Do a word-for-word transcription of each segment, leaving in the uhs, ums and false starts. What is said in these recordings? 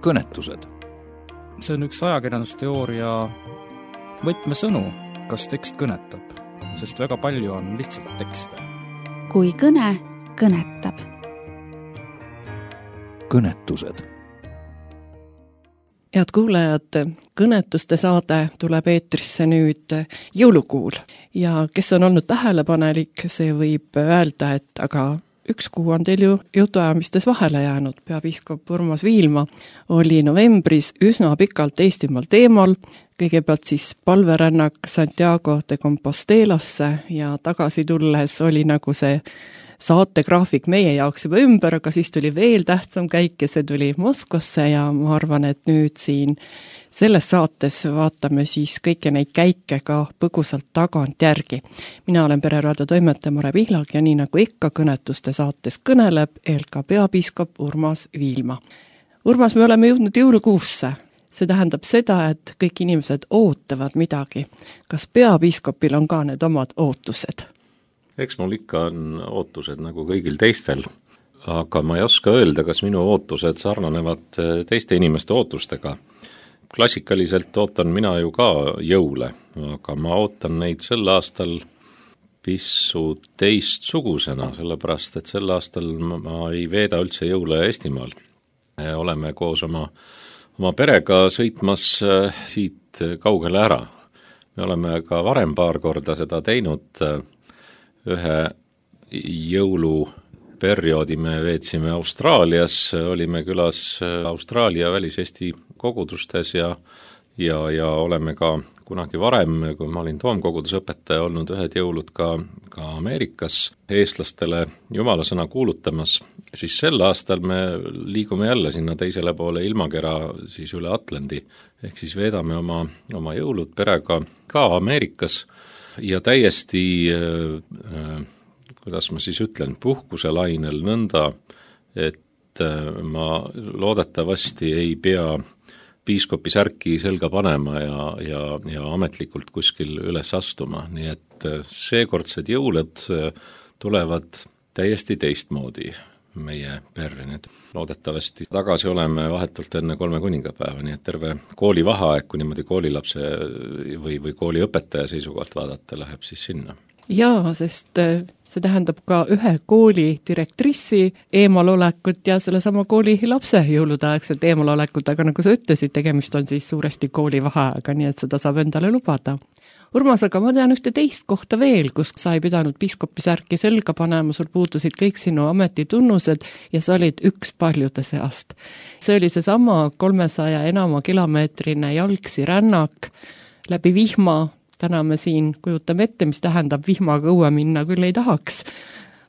kõnetused. See on üks ajakirjandusteooria võtmesõnu, kas tekst kõnetab, sest väga palju on lihtsalt tekste. Kui kõne kõnetab. Kõnetused. Head kuulajad, kõnetuste saade tuleb eetrisse nüüd jõulukuul ja kes on olnud tähelepanelik, see võib öelda, et aga üks kuu on teil ju jutuajamistes vahele jäänud. Peapiiskop Urmas Viilma oli novembris üsna pikalt Eestimaal teemal, kõigepealt siis palverännak Santiago de Compostelasse ja tagasi tulles oli nagu see saategraafik meie jaoks juba ümber, aga siis tuli veel tähtsam käik ja see tuli Moskvasse ja ma arvan, et nüüd siin selles saates vaatame siis kõiki neid käike ka põgusalt tagant järgi. Mina olen Pereraadio toimetaja Mare Pihlak ja nii nagu ikka kõnetuste saates kõneleb E L K peapiiskop Urmas Viilma. Urmas, me oleme jõudnud jõulukuusse. See tähendab seda, et kõik inimesed ootavad midagi. Kas peapiiskopil on ka need omad ootused? Eks mul ikka on ootused nagu kõigil teistel, aga ma ei oska öelda, kas minu ootused sarnanevad teiste inimeste ootustega. Klassikaliselt ootan mina ju ka jõule, aga ma ootan neid sel aastal pisut teistsugusena, sellepärast et sel aastal ma ei veeda üldse jõule Eestimaal. Oleme koos oma, oma perega sõitmas siit kaugele ära. Me oleme ka varem paar korda seda teinud. Ühe jõuluperioodi me veetsime Austraalias, olime külas Austraalia väliseesti kogudustes ja, ja, ja oleme ka kunagi varem, kui ma olin toomkogudusõpetaja, olnud ühed jõulud ka, ka Ameerikas eestlastele jumalasõna kuulutamas, siis sel aastal me liigume jälle sinna teisele poole ilmakera siis üle Atlandi, ehk siis veedame oma, oma jõulud perega ka Ameerikas ja täiesti, kuidas ma siis ütlen, puhkuse lainel nõnda, et ma loodetavasti ei pea piiskopi särki selga panema ja, ja, ja ametlikult kuskil üles astuma, nii et seekordsed jõulud tulevad täiesti teistmoodi meie perre. Nüüd loodetavasti tagasi oleme vahetult enne kolme kuningapäeva, nii et terve kooli vaheaeg, kui niimoodi koolilapse või, või kooliõpetaja seisukohalt vaadata, läheb siis sinna. Jaa, sest see tähendab ka ühe kooli direktrissi eemalolekut ja selle sama kooli lapse jõuludaegset eemalolekut, aga nagu sa ütlesid, tegemist on siis suuresti kooli vaheaega, nii et seda saab endale lubada. Urmas, aga ma tean ühte teist kohta veel, kus sa ei pidanud piiskopi särki selga panema, sul puudusid kõik sinu ametitunnused ja sa olid üks paljude seast. See oli see sama kolmesaja enama kilomeetrine jalgsi rännak läbi vihma. Täna me siin kujutame ette, mis tähendab vihmaga õue minna, küll ei tahaks.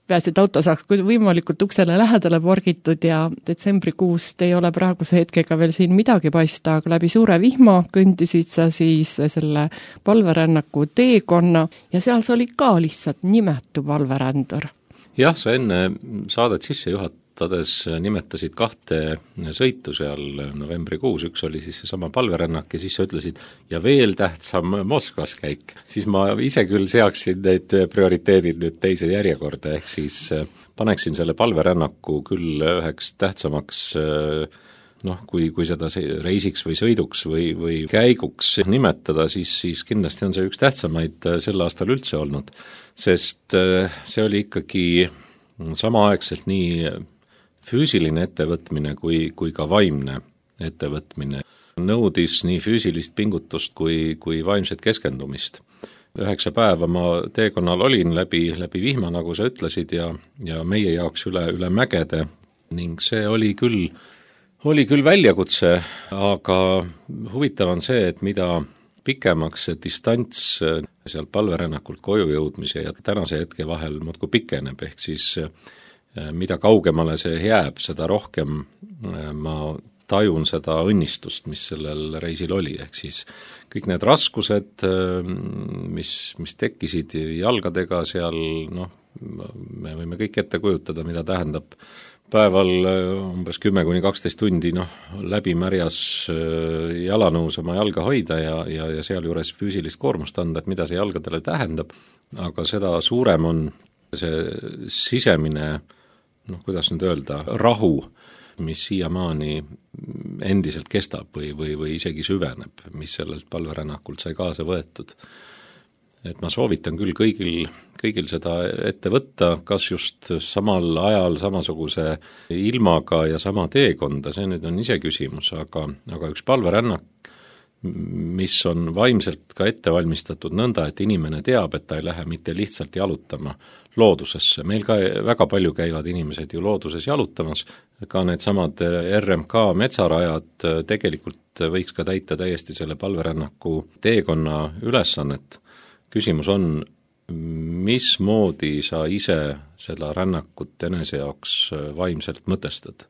Peas, et auto saaks võimalikult uksele lähedale pargitud ja detsembrikuust ei ole praeguse hetkega veel siin midagi paista, aga läbi suure vihma kõndisid sa siis selle palverännaku teekonna ja seal sa oli ka lihtsalt nimetu palverändur. Jah, sa enne saadet sisse juhatades nimetasid kahte sõitu seal novembrikuus, üks oli siis seesama palverännak ja siis sa ütlesid ja veel tähtsam Moskvas käik, siis ma ise küll seaksin need prioriteedid nüüd teise järjekorda, ehk siis paneksin selle palverännaku küll üheks tähtsamaks noh, kui, kui seda reisiks või sõiduks või, või käiguks nimetada, siis, siis kindlasti on see üks tähtsamaid sel aastal üldse olnud, sest see oli ikkagi samaaegselt nii füüsiline ettevõtmine kui, kui ka vaimne ettevõtmine. Nõudis nii füüsilist pingutust kui, kui vaimset keskendumist. Üheksa päeva ma teekonnal olin läbi, läbi vihma, nagu sa ütlesid, ja, ja meie jaoks üle, üle mägede ning see oli küll, oli küll väljakutse, aga huvitav on see, et mida pikemaks see distants seal palverännakult koju jõudmise ja tänase hetke vahel muudkui pikeneb, ehk siis mida kaugemale see jääb, seda rohkem ma tajun seda õnnistust, mis sellel reisil oli, ehk siis kõik need raskused, mis, mis tekkisid jalgadega seal, noh, me võime kõik ette kujutada, mida tähendab päeval umbes kümme kuni kaksteist tundi, noh, läbi märjas jalanõus oma jalga hoida ja, ja, ja sealjuures füüsilist koormust anda, et mida see jalgadele tähendab, aga seda suurem on see sisemine, noh, kuidas nüüd öelda, rahu, mis siiamaani endiselt kestab või, või, või isegi süveneb, mis sellelt palverännakult sai kaasa võetud. Et ma soovitan küll kõigil, kõigil seda ette võtta, kas just samal ajal samasuguse ilmaga ja sama teekonda, see nüüd on ise küsimus, aga, aga üks palverännak, mis on vaimselt ka ette valmistatud nõnda, et inimene teab, et ta ei lähe mitte lihtsalt jalutama loodusesse. Meil ka väga palju käivad inimesed ju looduses jalutamas, ka need samad R M K metsarajad tegelikult võiks ka täita täiesti selle palverännaku teekonna ülesannet. Küsimus on, mismoodi sa ise selle rännakut enese jaoks vaimselt mõtestad.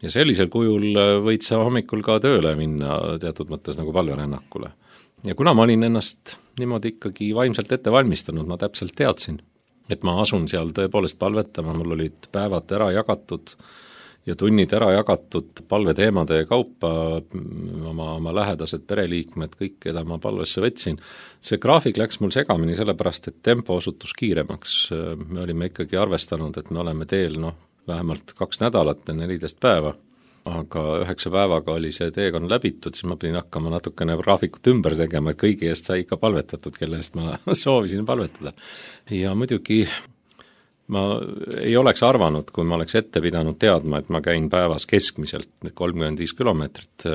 Ja sellisel kujul võid sa hommikul ka tööle minna teatud mõttes nagu palverännakule. Ja kuna ma olin ennast niimoodi ikkagi vaimselt ette valmistanud, ma täpselt teadsin, et ma asun seal tõepoolest palvetama, mul olid päevad ära jagatud ja tunnid ära jagatud palveteemade kaupa, oma, oma lähedased pereliikmed, kõik, keda ma palvesse võtsin. See graafik läks mul segamini sellepärast, et tempo osutus kiiremaks. Me olime ikkagi arvestanud, et me oleme teel noh, vähemalt kaks nädalat ja neliteist päeva, aga üheksa päevaga oli see teekond läbitud, siis ma pidin hakkama natukene graafikut ümber tegema, et kõigi eest sai ikka palvetatud, kelle eest ma soovisin palvetada. Ja muidugi ma ei oleks arvanud, kui ma oleks ette pidanud teadma, et ma käin päevas keskmiselt kolmkümmend viis kilomeetrit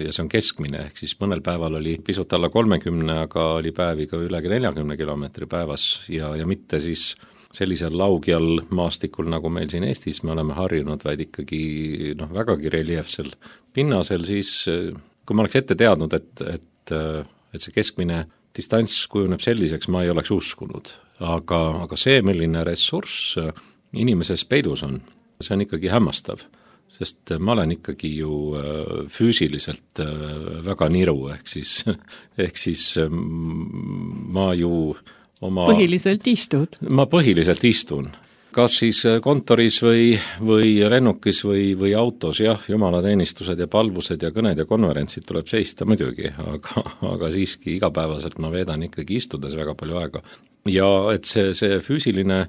ja see on keskmine, ehk siis mõnel päeval oli pisut alla kolmekümne, aga oli päevi ka üle neljakümne kilomeetri päevas ja, ja mitte siis sellisel laugjal maastikul, nagu meil siin Eestis me oleme harjunud, vaid ikkagi noh, vägagi reljeefsel pinnasel, siis kui ma oleks ette teadnud, et, et, et see keskmine distants kujuneb selliseks, ma ei oleks uskunud. Aga, aga see, milline ressurss inimeses peidus on, see on ikkagi hämmastav, sest ma olen ikkagi ju füüsiliselt väga niru, ehk siis, ehk siis ma ju oma... Põhiliselt istud? Ma põhiliselt istun. Kas siis kontoris või, või lennukis või, või autos, jah, jumalateenistused ja palvused ja kõned ja konverentsid tuleb seista muidugi, aga, aga siiski igapäevaselt ma veedan ikkagi istudes väga palju aega. Ja et see, see füüsiline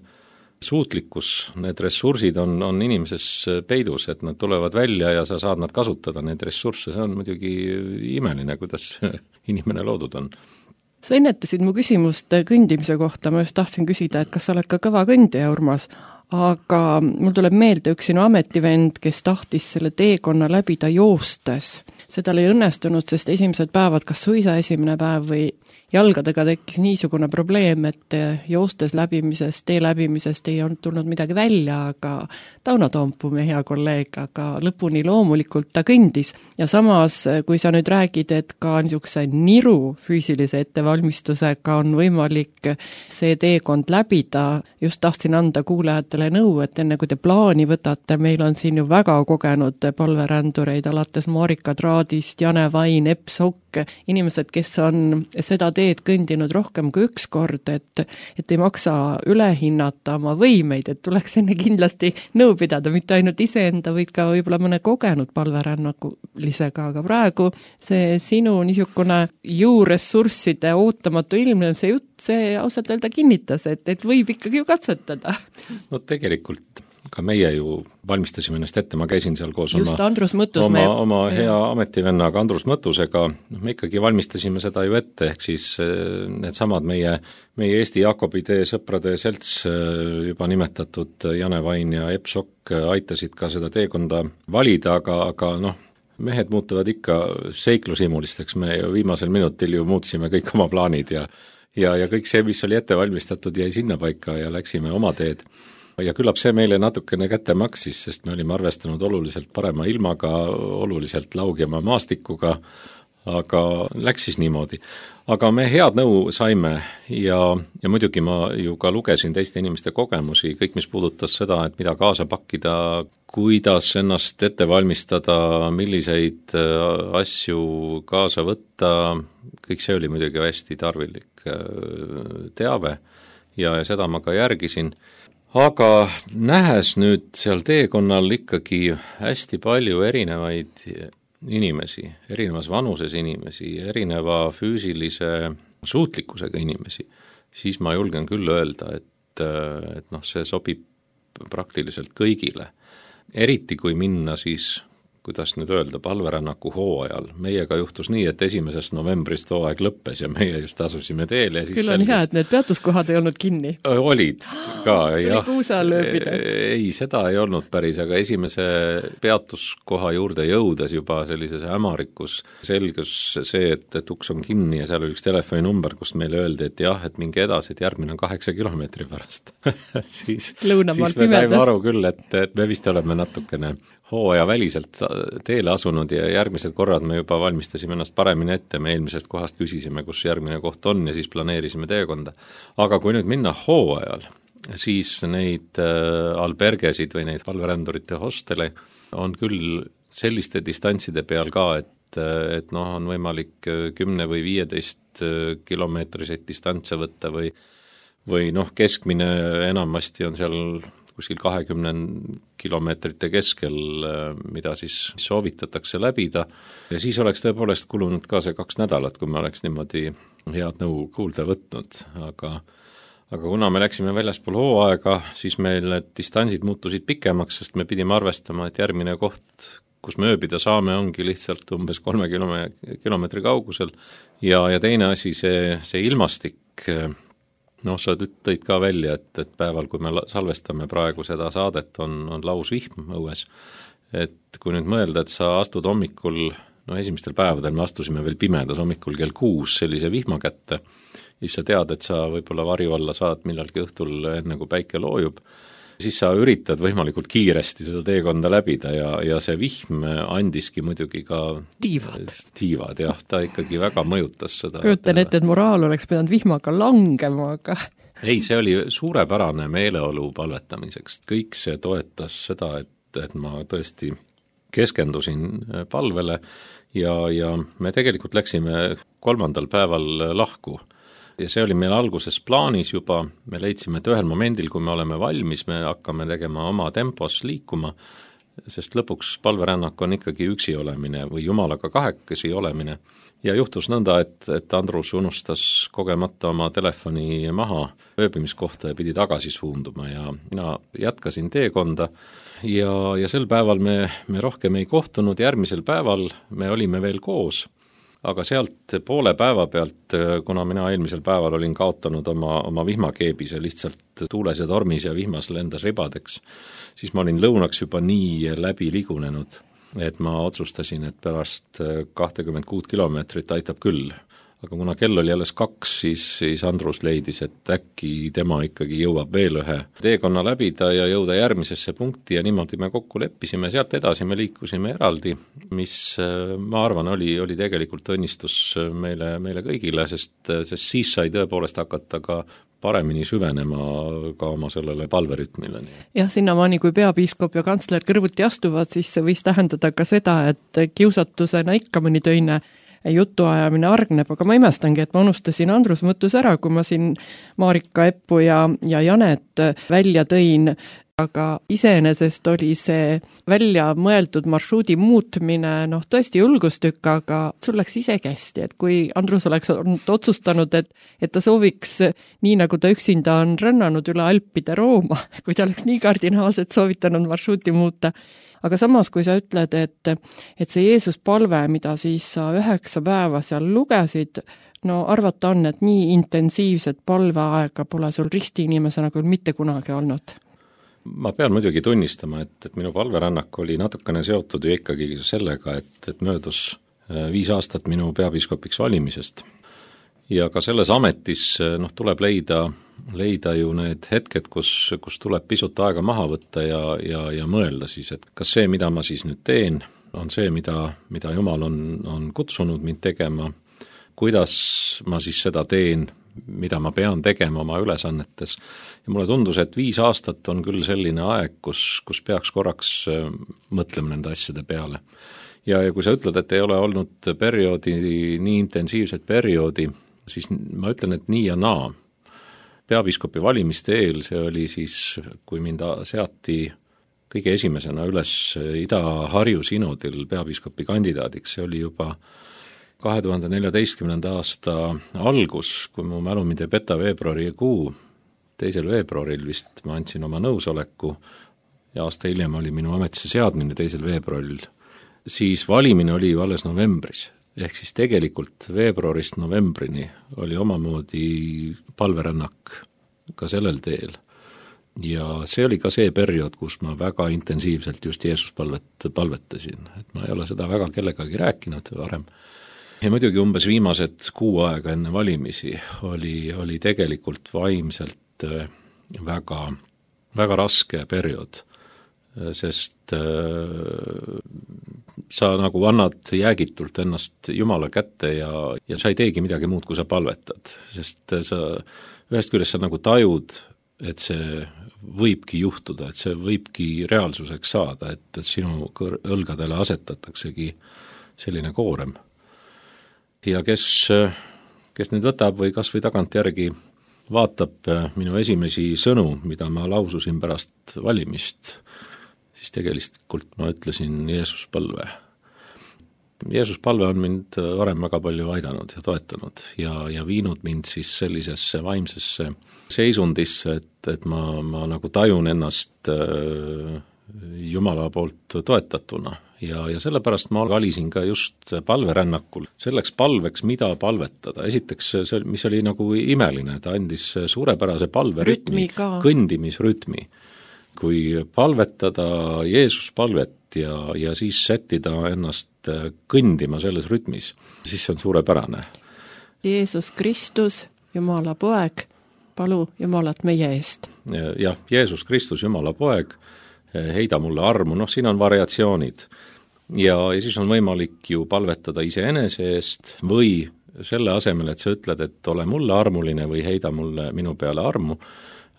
suutlikkus, need ressursid on, on inimeses peidus, et nad tulevad välja ja sa saad nad kasutada, need ressursse, see on muidugi imeline, kuidas inimene loodud on. Sa ennetasid mu küsimust kõndimise kohta, ma just tahtsin küsida, et kas sa oled ka kõva kõndija, Urmas, aga mul tuleb meelde üks sinu ametivend, kes tahtis selle teekonna läbida joostes. See tal ei õnnestunud, sest esimesed päevad, kas suisa esimene päev või jalgadega tekkis niisugune probleem, et joostes läbimisest, tee läbimisest ei olnud tulnud midagi välja, aga Tauno Toompuu, meie hea kolleeg, aga lõpuni loomulikult ta kõndis. Ja samas, kui sa nüüd räägid, et ka niisuguse niru füüsilise ettevalmistusega on võimalik see teekond läbida, just tahtsin anda kuulajatele nõu, et enne kui te plaani võtate, meil on siin ju väga kogenud palverändureid, alates Marika Traadist, Jane Vain, Epp Sokk, inimesed, kes on seda teed kõndinud rohkem kui üks kord, et, et ei maksa ülehinnata oma võimeid, et tuleks enne kindlasti nõu pidada, mitte ainult iseenda, võid ka võib-olla mõne kogenud palverännakulisega, aga praegu see sinu niisugune juuressursside ootamatu ilmne, see jutt, see ausalt öelda kinnitas, et, et võib ikkagi ju katsetada. No tegelikult ka meie ju valmistasime ennast ette, ma käisin seal koos Just, oma, Mõttus, oma, me... oma hea ametivennaga Andrus Mõttusega, me ikkagi valmistasime seda ju ette, ehk siis need samad meie, meie Eesti Jaakobitee sõprade selts juba nimetatud Jane Vain ja Epp Sokk aitasid ka seda teekonda valida, aga, aga noh, mehed muutuvad ikka seiklusimulisteks, me viimasel minutil ju muutsime kõik oma plaanid ja, ja, ja kõik see, mis oli ette valmistatud, jäi sinna paika ja läksime oma teed. Ja küllap see meile natukene kätte maksis, sest me olime arvestanud oluliselt parema ilmaga, oluliselt laugjama maastikuga, aga läks siis niimoodi. Aga me head nõu saime ja, ja muidugi ma ju ka lugesin teiste inimeste kogemusi, kõik mis puudutas seda, et mida kaasa pakkida, kuidas ennast ette valmistada, milliseid asju kaasa võtta, kõik see oli muidugi hästi tarvilik teave ja, ja seda ma ka järgisin. Aga nähes nüüd seal teekonnal ikkagi hästi palju erinevaid inimesi, erinevas vanuses inimesi, erineva füüsilise suutlikkusega inimesi, siis ma julgen küll öelda, et, et noh, see sobib praktiliselt kõigile. Eriti kui minna siis kuidas nüüd öelda, palverännaku hooajal. Meiega juhtus nii, et esimesest novembrist hooaeg lõppes ja meie just asusime teele ja siis küll on selgus... hea, et need peatuskohad ei olnud kinni. Olid ka, jah. Kuusa lööbida. Ei, seda ei olnud päris, aga esimese peatuskoha juurde jõudes juba sellises hämarikus selgus see, et, et uks on kinni ja seal oli üks telefoninumber, kust meile öeldi, et jah, et minge edasi, et järgmine on kaheksa kilomeetri pärast. siis, siis me saime aru küll, et, et me vist oleme natukene hooaja väliselt teele asunud ja järgmised korrad me juba valmistasime ennast paremini ette, me eelmisest kohast küsisime, kus järgmine koht on ja siis planeerisime teekonda. Aga kui nüüd minna hooajal, siis neid albergesid või neid palverändurite hostele on küll selliste distantside peal ka, et, et noh, on võimalik kümne või viieteist kilomeetriseid distantse võtta või, või noh, keskmine enamasti on seal kuskil kahekümne kilomeetrite keskel, mida siis soovitatakse läbida ja siis oleks tõepoolest kulunud ka see kaks nädalat, kui me oleks niimoodi head nõu kuulda võtnud, aga aga kuna me läksime väljaspool hooaega, siis meil need distantsid muutusid pikemaks, sest me pidime arvestama, et järgmine koht, kus me ööbida saame, ongi lihtsalt umbes kolme kilomeetri kaugusel ja, ja teine asi, see, see ilmastik, noh, sa tõid ka välja, et, et päeval, kui me salvestame praegu seda saadet, on, on laus vihm õues. Et kui nüüd mõelda, et sa astud hommikul, no esimestel päevadel me astusime veel pimedas hommikul kell kuus sellise vihma kätte, siis sa tead, et sa võib-olla varju alla saad millalgi õhtul enne, kui päike loojub, siis sa üritad võimalikult kiiresti seda teekonda läbida ja, ja see vihm andiski muidugi ka tiivad, tiivad jah, ta ikkagi väga mõjutas seda. Kujutan ette, et moraal oleks pidanud vihmaga langema, aga ei, see oli suurepärane meeleolu palvetamiseks, kõik see toetas seda, et, et ma tõesti keskendusin palvele ja, ja me tegelikult läksime kolmandal päeval lahku. Ja see oli meil alguses plaanis juba, me leidsime, et ühel momendil, kui me oleme valmis, me hakkame tegema oma tempos liikuma, sest lõpuks palverännak on ikkagi üksi olemine või jumalaga kahekesi olemine. Ja juhtus nõnda, et, et Andrus unustas kogemata oma telefoni maha ööbimiskohta ja pidi tagasi suunduma ja mina jätkasin teekonda ja, ja sel päeval me, me rohkem ei kohtunud, järgmisel päeval me olime veel koos. Aga sealt poole päeva pealt, kuna mina eelmisel päeval olin kaotanud oma, oma vihmakeebis ja lihtsalt tuules ja tormis ja vihmas lendas ribadeks, siis ma olin lõunaks juba nii läbi ligunenud, et ma otsustasin, et pärast kakskümmend kuus kilomeetrit aitab küll. Aga kuna kell oli alles kaks, siis, siis Andrus leidis, et äkki tema ikkagi jõuab veel ühe teekonna läbida ja jõuda järgmisesse punkti ja niimoodi me kokku leppisime, sealt edasi me liikusime eraldi, mis ma arvan, oli, oli tegelikult õnnistus meile, meile kõigile, sest, sest siis sai tõepoolest hakata ka paremini süvenema ka oma sellele palverütmile. jah, sinnamaani, kui peapiiskop ja kantsler kõrvuti astuvad, siis see võis tähendada ka seda, et kiusatusena ikka mõni töine jutuajamine argneb, aga ma imestangi, et ma unustasin Andrus mõttus ära, kui ma siin Marika Eppu ja, ja Janet välja tõin, aga iseenesest oli see välja mõeldud marsruudi muutmine, noh tõesti julgustükk, aga sul läks isegi hästi, et kui Andrus oleks otsustanud, et, et ta sooviks, nii nagu ta üksinda on rännanud üle Alpide Rooma, kui ta oleks nii kardinaalselt soovitanud marsruuti muuta, aga samas, kui sa ütled, et, et see Jeesus palve, mida siis sa üheksa päeva seal lugesid, no arvata on, et nii intensiivset palveaega pole sul ristiinimesena küll mitte kunagi olnud. Ma pean muidugi tunnistama, et, et minu palverännak oli natukene seotud ju ikkagi sellega, et, et möödus viis aastat minu peapiiskopiks valimisest. Ja ka selles ametis noh, tuleb leida leida ju need hetked, kus, kus tuleb pisut aega maha võtta ja, ja, ja mõelda siis, et kas see, mida ma siis nüüd teen, on see, mida, mida Jumal on, on kutsunud mind tegema, kuidas ma siis seda teen, mida ma pean tegema oma ülesannetes. Ja mulle tundus, et viis aastat on küll selline aeg, kus, kus peaks korraks mõtlema nende asjade peale. Ja, ja kui sa ütled, et ei ole olnud perioodi, nii intensiivset perioodi, siis ma ütlen, et nii ja naa. Peapiiskopi valimiste eel, see oli siis, kui mind seati kõige esimesena üles Ida-Harju sinodil peapiiskopi kandidaadiks, see oli juba kahe tuhande neljateistkümnenda aasta algus, kui mu mälu mind ei peta veebruari kuu, teisel veebruaril vist ma andsin oma nõusoleku ja aasta hiljem oli minu ametisse seadmine teisel veebruaril siis valimine oli ju alles novembris. Ehk siis tegelikult veebruarist novembrini oli omamoodi palverännak ka sellel teel. Ja see oli ka see periood, kus ma väga intensiivselt just Jeesuspalvet palvetasin. Et ma ei ole seda väga kellegagi rääkinud varem. Ja muidugi umbes viimased kuu aega enne valimisi oli, oli tegelikult vaimselt väga, väga raske periood, sest sa nagu annad jäägitult ennast Jumala kätte ja, ja sa ei teegi midagi muud, kui sa palvetad, sest sa ühest küljest sa nagu tajud, et see võibki juhtuda, et see võibki reaalsuseks saada, et, et sinu kõr- õlgadele asetataksegi selline koorem. Ja kes, kes nüüd võtab või kas või tagantjärgi vaatab minu esimesi sõnu, mida ma laususin pärast valimist, siis tegelikult ma ütlesin Jeesuspalve. Jeesuspalve on mind varem väga palju aidanud ja toetanud ja, ja viinud mind siis sellisesse vaimsesse seisundisse, et, et ma, ma nagu tajun ennast Jumala poolt toetatuna ja, ja sellepärast ma valisin ka just palverännakul selleks palveks, mida palvetada. Esiteks, see, mis oli nagu imeline, ta andis suurepärase palverütmi, kõndimisrütmi. Kui palvetada Jeesuspalvet ja, ja siis sättida ennast kõndima selles rütmis, siis see on suurepärane. Jeesus Kristus, Jumala poeg, palu Jumalat meie eest. Jah, Jeesus Kristus, Jumala poeg, heida mulle armu, noh siin on variatsioonid. Ja, ja siis on võimalik ju palvetada iseenese eest või selle asemel, et sa ütled, et ole mulle armuline või heida mulle minu peale armu,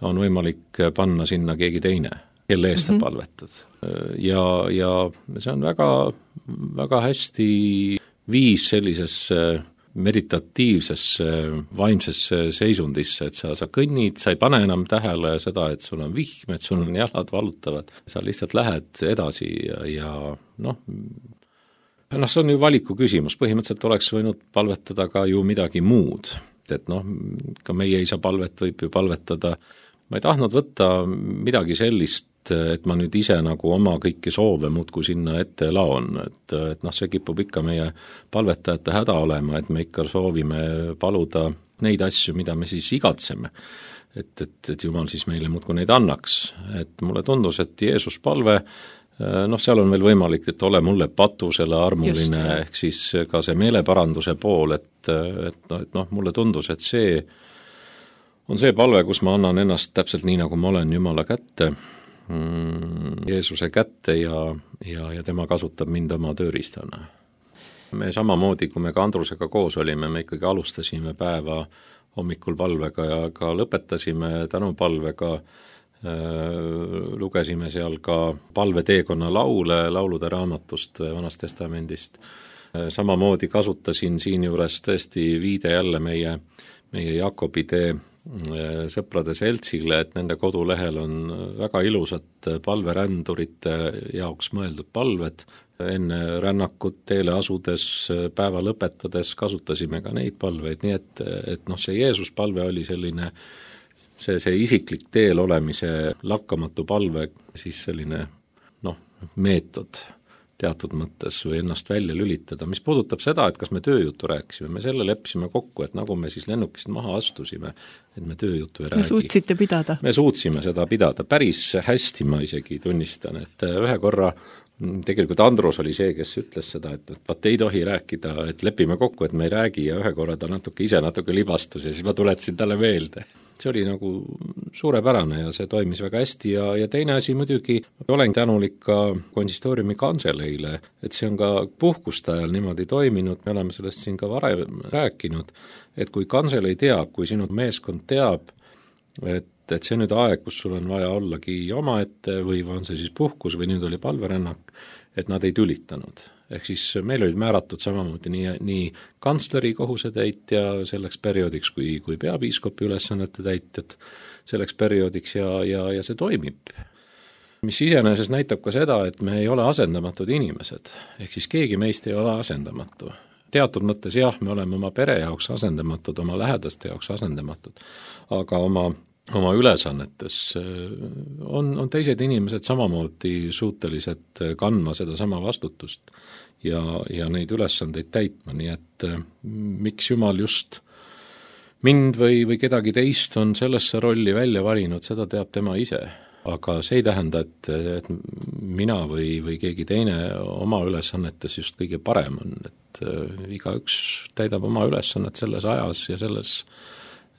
on võimalik panna sinna keegi teine, kelle eest mm-hmm. sa palvetad. Ja, ja see on väga, väga hästi viis sellisesse meditatiivsesse, vaimsesse seisundisse, et sa, sa kõnnid, sa ei pane enam tähele seda, et sul on vihm, et sul on jalad valutavad, sa lihtsalt lähed edasi ja, ja noh, noh, see on ju valiku küsimus, põhimõtteliselt oleks võinud palvetada ka ju midagi muud, et noh, ka meie isa palvet võib ju palvetada, ma ei tahtnud võtta midagi sellist, et ma nüüd ise nagu oma kõiki soove muudkui sinna ette laon, et, et noh, see kipub ikka meie palvetajate häda olema, et me ikka soovime paluda neid asju, mida me siis igatseme, et, et, et Jumal siis meile muudkui neid annaks, et mulle tundus, et Jeesus palve, noh, seal on veel võimalik, et ole mulle patusele armuline, Just, ehk siis ka see meeleparanduse pool, et, et, noh, et noh, mulle tundus, et see on see palve, kus ma annan ennast täpselt nii, nagu ma olen Jumala kätte, Jeesuse kätte ja, ja, ja tema kasutab mind oma tööriistana. Me samamoodi, kui me ka Andrusega koos olime, me ikkagi alustasime päeva hommikul palvega ja ka lõpetasime tänupalvega, äh, lugesime seal ka palveteekonna laule, laulude raamatust Vanast Testamendist. Äh, samamoodi kasutasin siin juures tõesti viide jälle meie, meie Jakobi tee sõprade seltsile, et nende kodulehel on väga ilusad palverändurite jaoks mõeldud palved. Enne rännakut teele asudes, päeva lõpetades kasutasime ka neid palveid, nii et, et noh, see Jeesus palve oli selline, see, see isiklik teel olemise lakkamatu palve, siis selline noh, meetod teatud mõttes või ennast välja lülitada. Mis puudutab seda, et kas me tööjuttu rääkisime, me selle leppisime kokku, et nagu me siis lennukist maha astusime, et me tööjuttu ei räägi. Me suutsite pidada? Me suutsime seda pidada. Päris hästi ma isegi tunnistan, et ühe korra tegelikult Andrus oli see, kes ütles seda, et vaat ei tohi rääkida, et lepime kokku, et me ei räägi ja ühe korra ta natuke ise natuke libastus ja siis ma tuletasin talle meelde. See oli nagu suurepärane ja see toimis väga hästi ja, ja teine asi muidugi, olen tänulik ka konsistooriumi kanseleile, et see on ka puhkuste ajal niimoodi toiminud, me oleme sellest siin ka varem rääkinud, et kui kanselei teab, kui sinu meeskond teab, et, et see nüüd aeg, kus sul on vaja ollagi omaette või on see siis puhkus või nüüd oli palverännak, et nad ei tülitanud. Ehk siis meil olid määratud samamoodi nii, nii kantsleri kohusetäitja selleks perioodiks kui, kui peapiiskopi ülesannete täitjad selleks perioodiks ja, ja, ja see toimib. Mis iseenesest näitab ka seda, et me ei ole asendamatud inimesed, ehk siis keegi meist ei ole asendamatu. Teatud mõttes jah, me oleme oma pere jaoks asendamatud, oma lähedaste jaoks asendamatud, aga oma oma ülesannetes, on, on teised inimesed samamoodi suutelised kandma seda sama vastutust ja, ja neid ülesandeid täitma, nii et miks Jumal just mind või, või kedagi teist on sellesse rolli välja valinud, seda teab tema ise. Aga see ei tähenda, et, et mina või, või keegi teine oma ülesannetes just kõige parem on, et igaüks täidab oma ülesannet selles ajas ja selles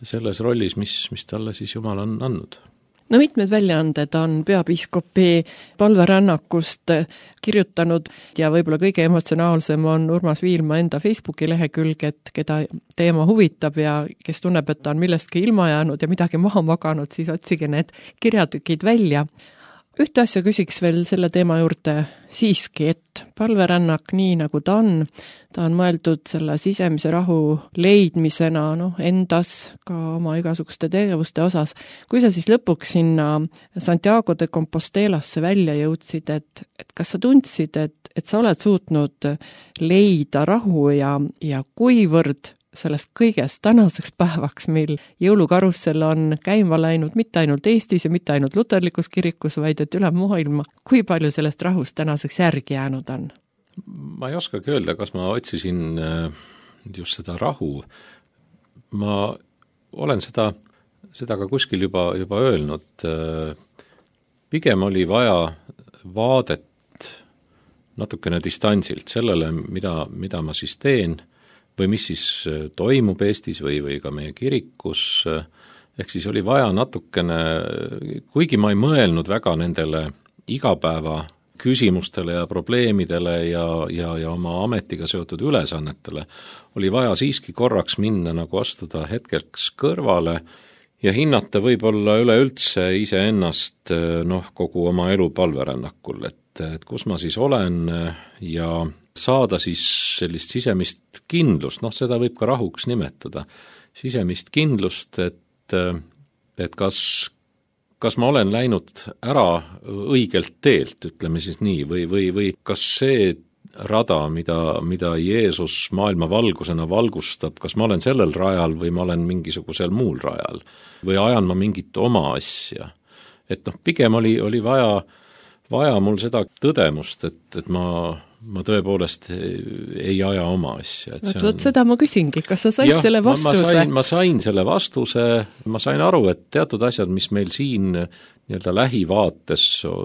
selles rollis, mis, mis talle siis Jumal on andnud. No mitmed väljaanded on peapiiskopi palverännakust kirjutanud ja võib-olla kõige emotsionaalsem on Urmas Viilma enda Facebooki lehekülg, et keda teema huvitab ja kes tunneb, et ta on millestki ilma jäänud ja midagi maha maganud, siis otsige need kirjatükid välja. Ühte asja küsiks veel selle teema juurde siiski, et palverännak nii nagu ta on, ta on mõeldud selle sisemise rahu leidmisena no, endas ka oma igasuguste tegevuste osas. Kui sa siis lõpuks sinna Santiago de Compostelasse välja jõudsid, et, et kas sa tundsid, et, et sa oled suutnud leida rahu ja, ja kuivõrd sellest kõigest tänaseks päevaks, mil jõulukarussel on käima läinud mitte ainult Eestis ja mitte ainult luterlikus kirikus, vaid et üle maailma, kui palju sellest rahust tänaseks järgi jäänud on? Ma ei oskagi öelda, kas ma otsisin just seda rahu. Ma olen seda, seda ka kuskil juba, juba öelnud. Pigem oli vaja vaadet natukene distantsilt sellele, mida, mida ma siis teen, või mis siis toimub Eestis või, või ka meie kirikus, ehk siis oli vaja natukene, kuigi ma ei mõelnud väga nendele igapäeva küsimustele ja probleemidele ja, ja, ja oma ametiga seotud ülesannetele, oli vaja siiski korraks minna nagu astuda hetkeks kõrvale ja hinnata võib-olla üleüldse iseennast noh, kogu oma elu palverännakul, et, et kus ma siis olen ja saada siis sellist sisemist kindlust, noh seda võib ka rahuks nimetada, sisemist kindlust, et, et kas, kas ma olen läinud ära õigelt teelt, ütleme siis nii, või, või, või kas see rada, mida, mida Jeesus maailma valgusena valgustab, kas ma olen sellel rajal või ma olen mingisugusel muul rajal või ajan ma mingit oma asja. Et noh, pigem oli, oli vaja, vaja mul seda tõdemust, et, et ma ma tõepoolest ei aja oma asja. Võt, võt, seda ma küsingi, kas sa said ja, selle vastuse? Ma sain, ma sain selle vastuse, ma sain aru, et teatud asjad, mis meil siin nii-öelda lähivaates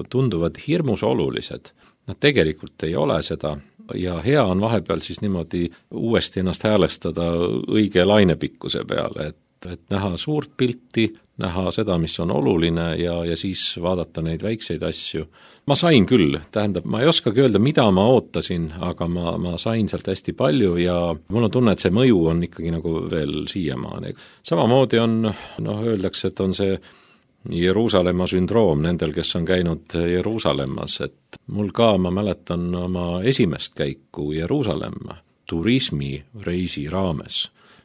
tunduvad hirmus olulised, nad tegelikult ei ole seda ja hea on vahepeal siis niimoodi uuesti ennast häälestada õige lainepikkuse peale, et, et näha suurt pilti, näha seda, mis on oluline ja, ja siis vaadata neid väikseid asju. Ma sain küll, tähendab, ma ei oskagi öelda, mida ma ootasin, aga ma, ma sain sealt hästi palju ja mul on tunne, et see mõju on ikkagi nagu veel siiamaani. Samamoodi on, noh, öeldakse, et on see Jeruusalemma sündroom nendel, kes on käinud Jeruusalemmas, et mul ka, ma mäletan oma esimest käiku Jeruusalemma turismireisi raames.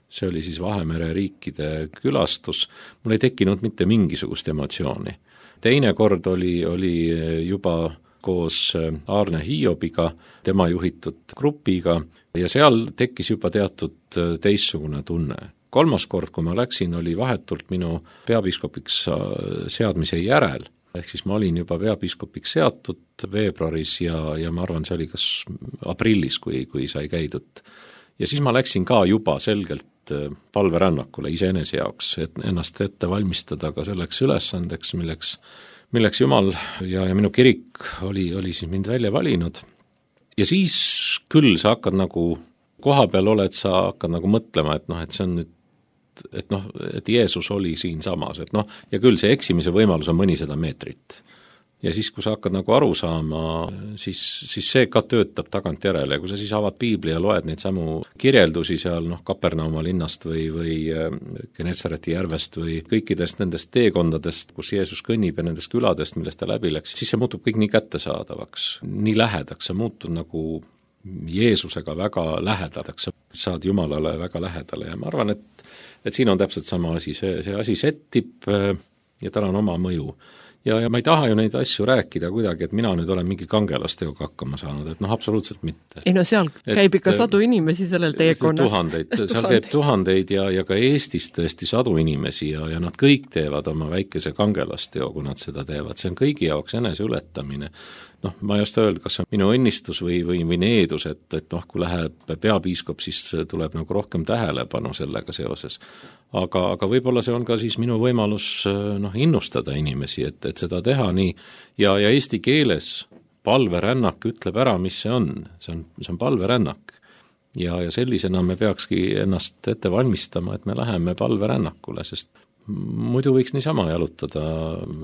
See oli siis Vahemere riikide külastus, mul ei tekkinud mitte mingisugust emotsiooni. Teine kord oli, oli juba koos Aarne Hiobiga, tema juhitud grupiga ja seal tekkis juba teatud teistsugune tunne. Kolmas kord, kui ma läksin, oli vahetult minu peapiiskopiks seadmise järel, ehk siis ma olin juba peapiiskopiks seatud veebruaris ja, ja ma arvan, see oli kas aprillis, kui, kui sai käidud. Ja siis ma läksin ka juba selgelt palverännakule iseenese jaoks, et ennast ette valmistada ka selleks ülesandeks, milleks, milleks Jumal ja, ja minu kirik oli, oli siis mind välja valinud. Ja siis küll sa hakkad nagu, koha peal oled, sa hakkad nagu mõtlema, et noh, et see on nüüd, et noh, et Jeesus oli siin samas, et noh, ja küll see eksimise võimalus on mõnisada meetrit. Ja siis, kui sa hakkad nagu aru saama, siis, siis see ka töötab tagantjärele. Kui sa siis avad piibli ja loed neid samu kirjeldusi seal, noh, Kapernauma linnast või, või Genetsareti järvest või kõikidest nendest teekondadest, kus Jeesus kõnnib ja nendest küladest, millest ta läbi läks, siis see muutub kõik nii kättesaadavaks, nii lähedaks, sa muutud nagu Jeesusega väga lähedadaks, saad Jumalale väga lähedale ja ma arvan, et, et siin on täpselt sama asi, see, see asi settib ja tal on oma mõju. ja, ja ma ei taha ju neid asju rääkida kuidagi, et mina nüüd olen mingi kangelastega hakkama saanud, et noh, absoluutselt mitte. ei no seal et, käib ikka sadu inimesi sellel teekonnal. Tuhandeid, seal käib tuhandeid ja, ja ka Eestis tõesti sadu inimesi ja, ja nad kõik teevad oma väikese kangelasteo, kui nad seda teevad, see on kõigi jaoks eneseületamine. Noh, ma ei oska öelda, kas on minu õnnistus või, või, või needus, et, et noh, kui läheb peapiiskop, siis tuleb nagu rohkem tähelepanu sellega seoses. Aga, aga võib-olla see on ka siis minu võimalus noh, innustada inimesi, et, et seda teha nii. Ja, ja eesti keeles palverännak ütleb ära, mis see on. See on, see on palverännak. Ja, ja sellisena me peakski ennast ette valmistama, et me läheme palverännakule, sest muidu võiks niisama jalutada,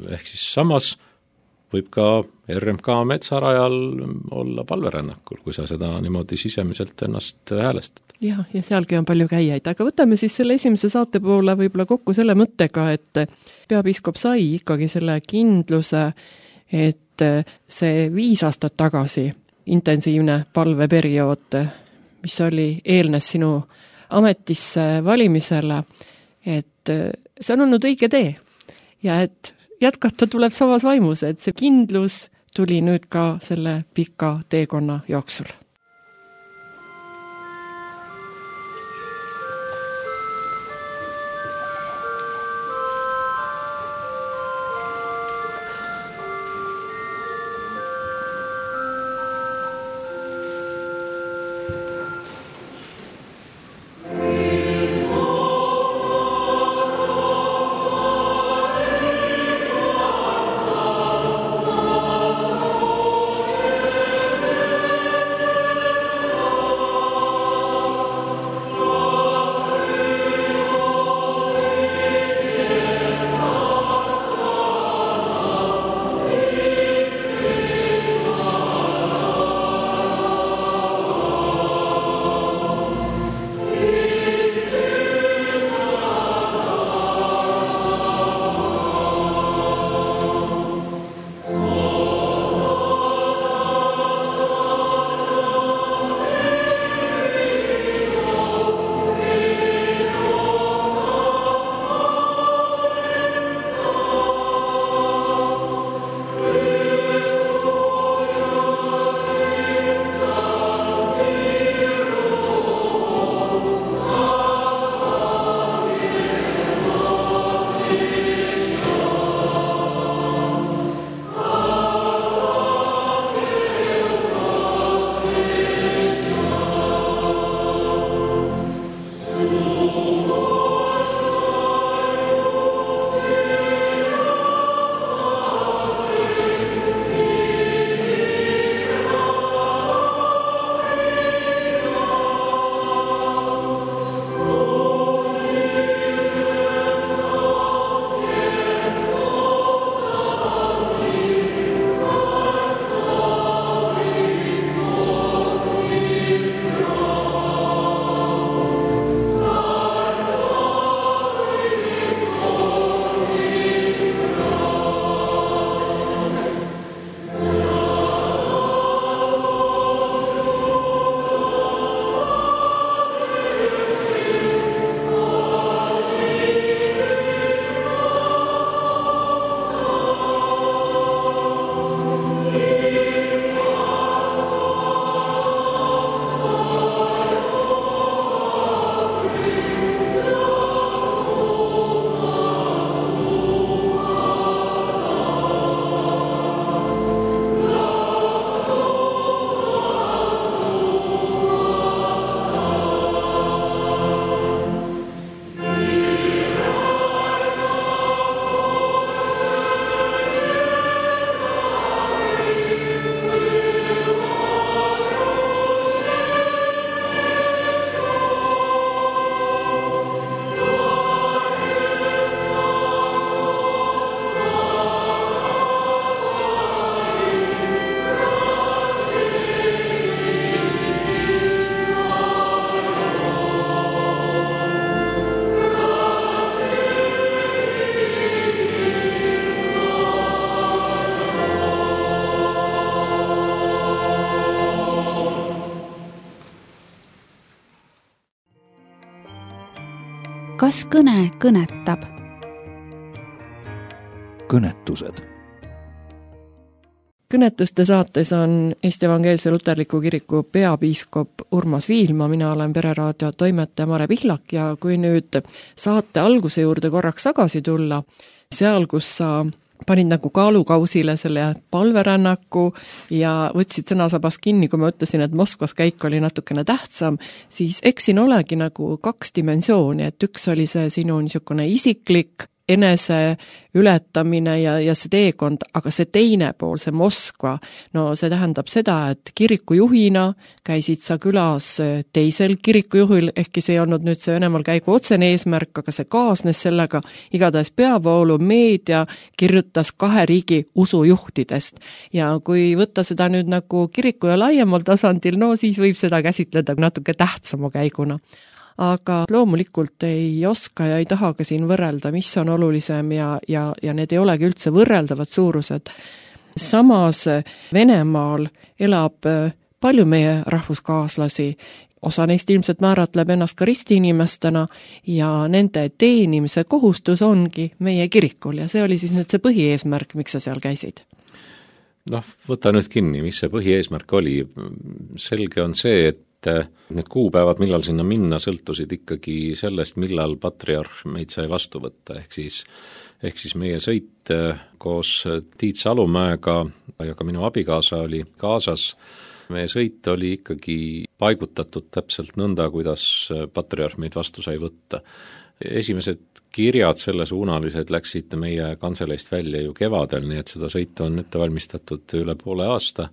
ehk siis samas võib ka R M K metsarajal olla palverännakul, kui sa seda niimoodi sisemiselt ennast häälestad. jah, ja sealgi on palju käijaid, aga võtame siis selle esimese saate poole võib-olla kokku selle mõttega, et peapiiskop sai ikkagi selle kindluse, et see viis aastat tagasi intensiivne palveperiood, mis oli eelnes sinu ametisse valimisele, et see on olnud õige tee ja et jätkata tuleb samas vaimus, et see kindlus tuli nüüd ka selle pika teekonna jooksul. kas kõne kõnetab? kõnetused kõnetuste saates on Eesti Evangeelse Luterliku Kiriku peapiiskop Urmas Viilma, mina olen Pereraadio toimetaja Mare Pihlak ja kui nüüd saate alguse juurde korraks tagasi tulla, seal, kus sa panid nagu kaalukausile selle palverännaku ja võtsid sõnasabast kinni, kui ma ütlesin, et Moskvas käik oli natukene tähtsam, siis eks siin olegi nagu kaks dimensiooni, et üks oli see sinu niisugune isiklik enese ületamine ja, ja see teekond, aga see teine pool, see Moskva, no see tähendab seda, et kirikujuhina käisid sa külas teisel kirikujuhil, ehkki see ei olnud nüüd see Venemaal käigu otsene eesmärk, aga see kaasnes sellega, igatahes peavoolu meedia kirjutas kahe riigi usujuhtidest. Ja kui võtta seda nüüd nagu kiriku ja laiemal tasandil, no siis võib seda käsitleda natuke tähtsama käiguna. Aga loomulikult ei oska ja ei taha ka siin võrrelda, mis on olulisem ja, ja, ja need ei olegi üldse võrreldavad suurused. Samas Venemaal elab palju meie rahvuskaaslasi, osa neist ilmselt määratleb ennast ka ristiinimestena ja nende teenimise kohustus ongi meie kirikul ja see oli siis nüüd see põhieesmärk, miks sa seal käisid? Noh, võta nüüd kinni, mis see põhieesmärk oli. Selge on see, et need kuupäevad, millal sinna minna, sõltusid ikkagi sellest, millal patriarh meid sai vastu võtta, ehk siis, ehk siis meie sõit koos Tiit Salumäega ja ka minu abikaasa oli kaasas. Meie sõit oli ikkagi paigutatud täpselt nõnda, kuidas patriarh meid vastu sai võtta. Esimesed kirjad selle suunalised läksid meie kantseleist välja ju kevadel, nii et seda sõitu on ette valmistatud üle poole aasta